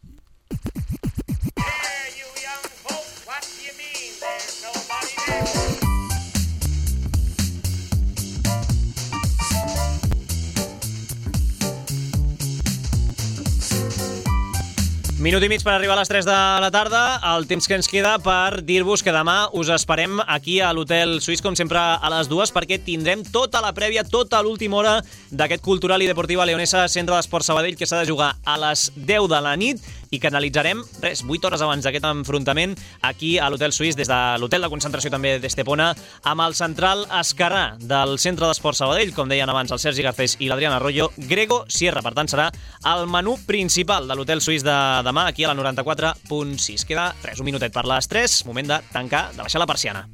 Minut i mig per arribar a les tres de la tarda, el temps que ens queda per dir-vos que demà us esperem aquí a l'Hotel Suís, com sempre a les dues, perquè tindrem tota la prèvia, tota l'última hora d'aquest Cultural i Deportiva Leonesa Centre d'Esport Sabadell, que s'ha de jugar a les deu de la nit i que analitzarem, res, vuit hores abans d'aquest enfrontament, aquí a l'Hotel Suís, des de l'hotel de concentració també d'Estepona, amb el central esquerrà del Centre d'Esport Sabadell, com deien abans el Sergi Garcés i l'Adrián Arroyo, Grego Sierra. Per tant, serà el menú principal de l'Hotel Suís de demà, aquí a la noranta-quatre punt sis. Queda res, un minutet per les tres, moment de tancar, de baixar la persiana.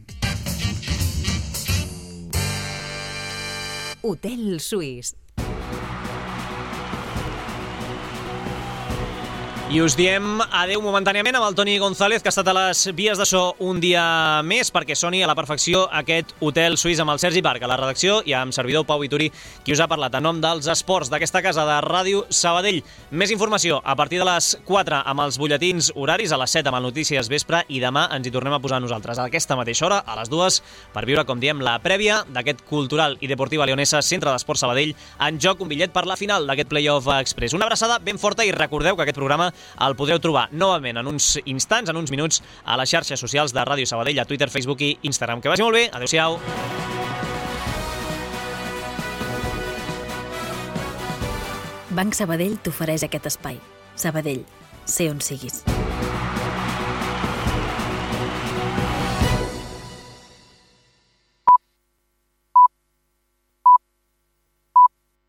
Hotel Suís. I us diem adeu momentàniament amb el Toni González, que ha estat a les vies de so un dia més perquè soni a la perfecció aquest Hotel Suís, amb el Sergi Parc a la redacció i amb servidor Pau Vituri, qui us ha parlat en nom dels esports d'aquesta casa de Ràdio Sabadell. Més informació a partir de les quatre amb els butlletins horaris, a les set amb el Notícies Vespre, i demà ens hi tornem a posar nosaltres a aquesta mateixa hora, a les dues, per viure, com diem, la prèvia d'aquest Cultural i Deportiva Leonesa Centre d'Esport Sabadell, en joc un bitllet per la final d'aquest Playoff Express. Una abraçada ben forta i recordeu que aquest programa el podreu trobar novament en uns instants, en uns minuts, a les xarxes socials de Ràdio Sabadell, a Twitter, Facebook i Instagram. Que vagi molt bé, adeu-siau. Banc Sabadell t'ofereix aquest espai. Sabadell, sé on siguis.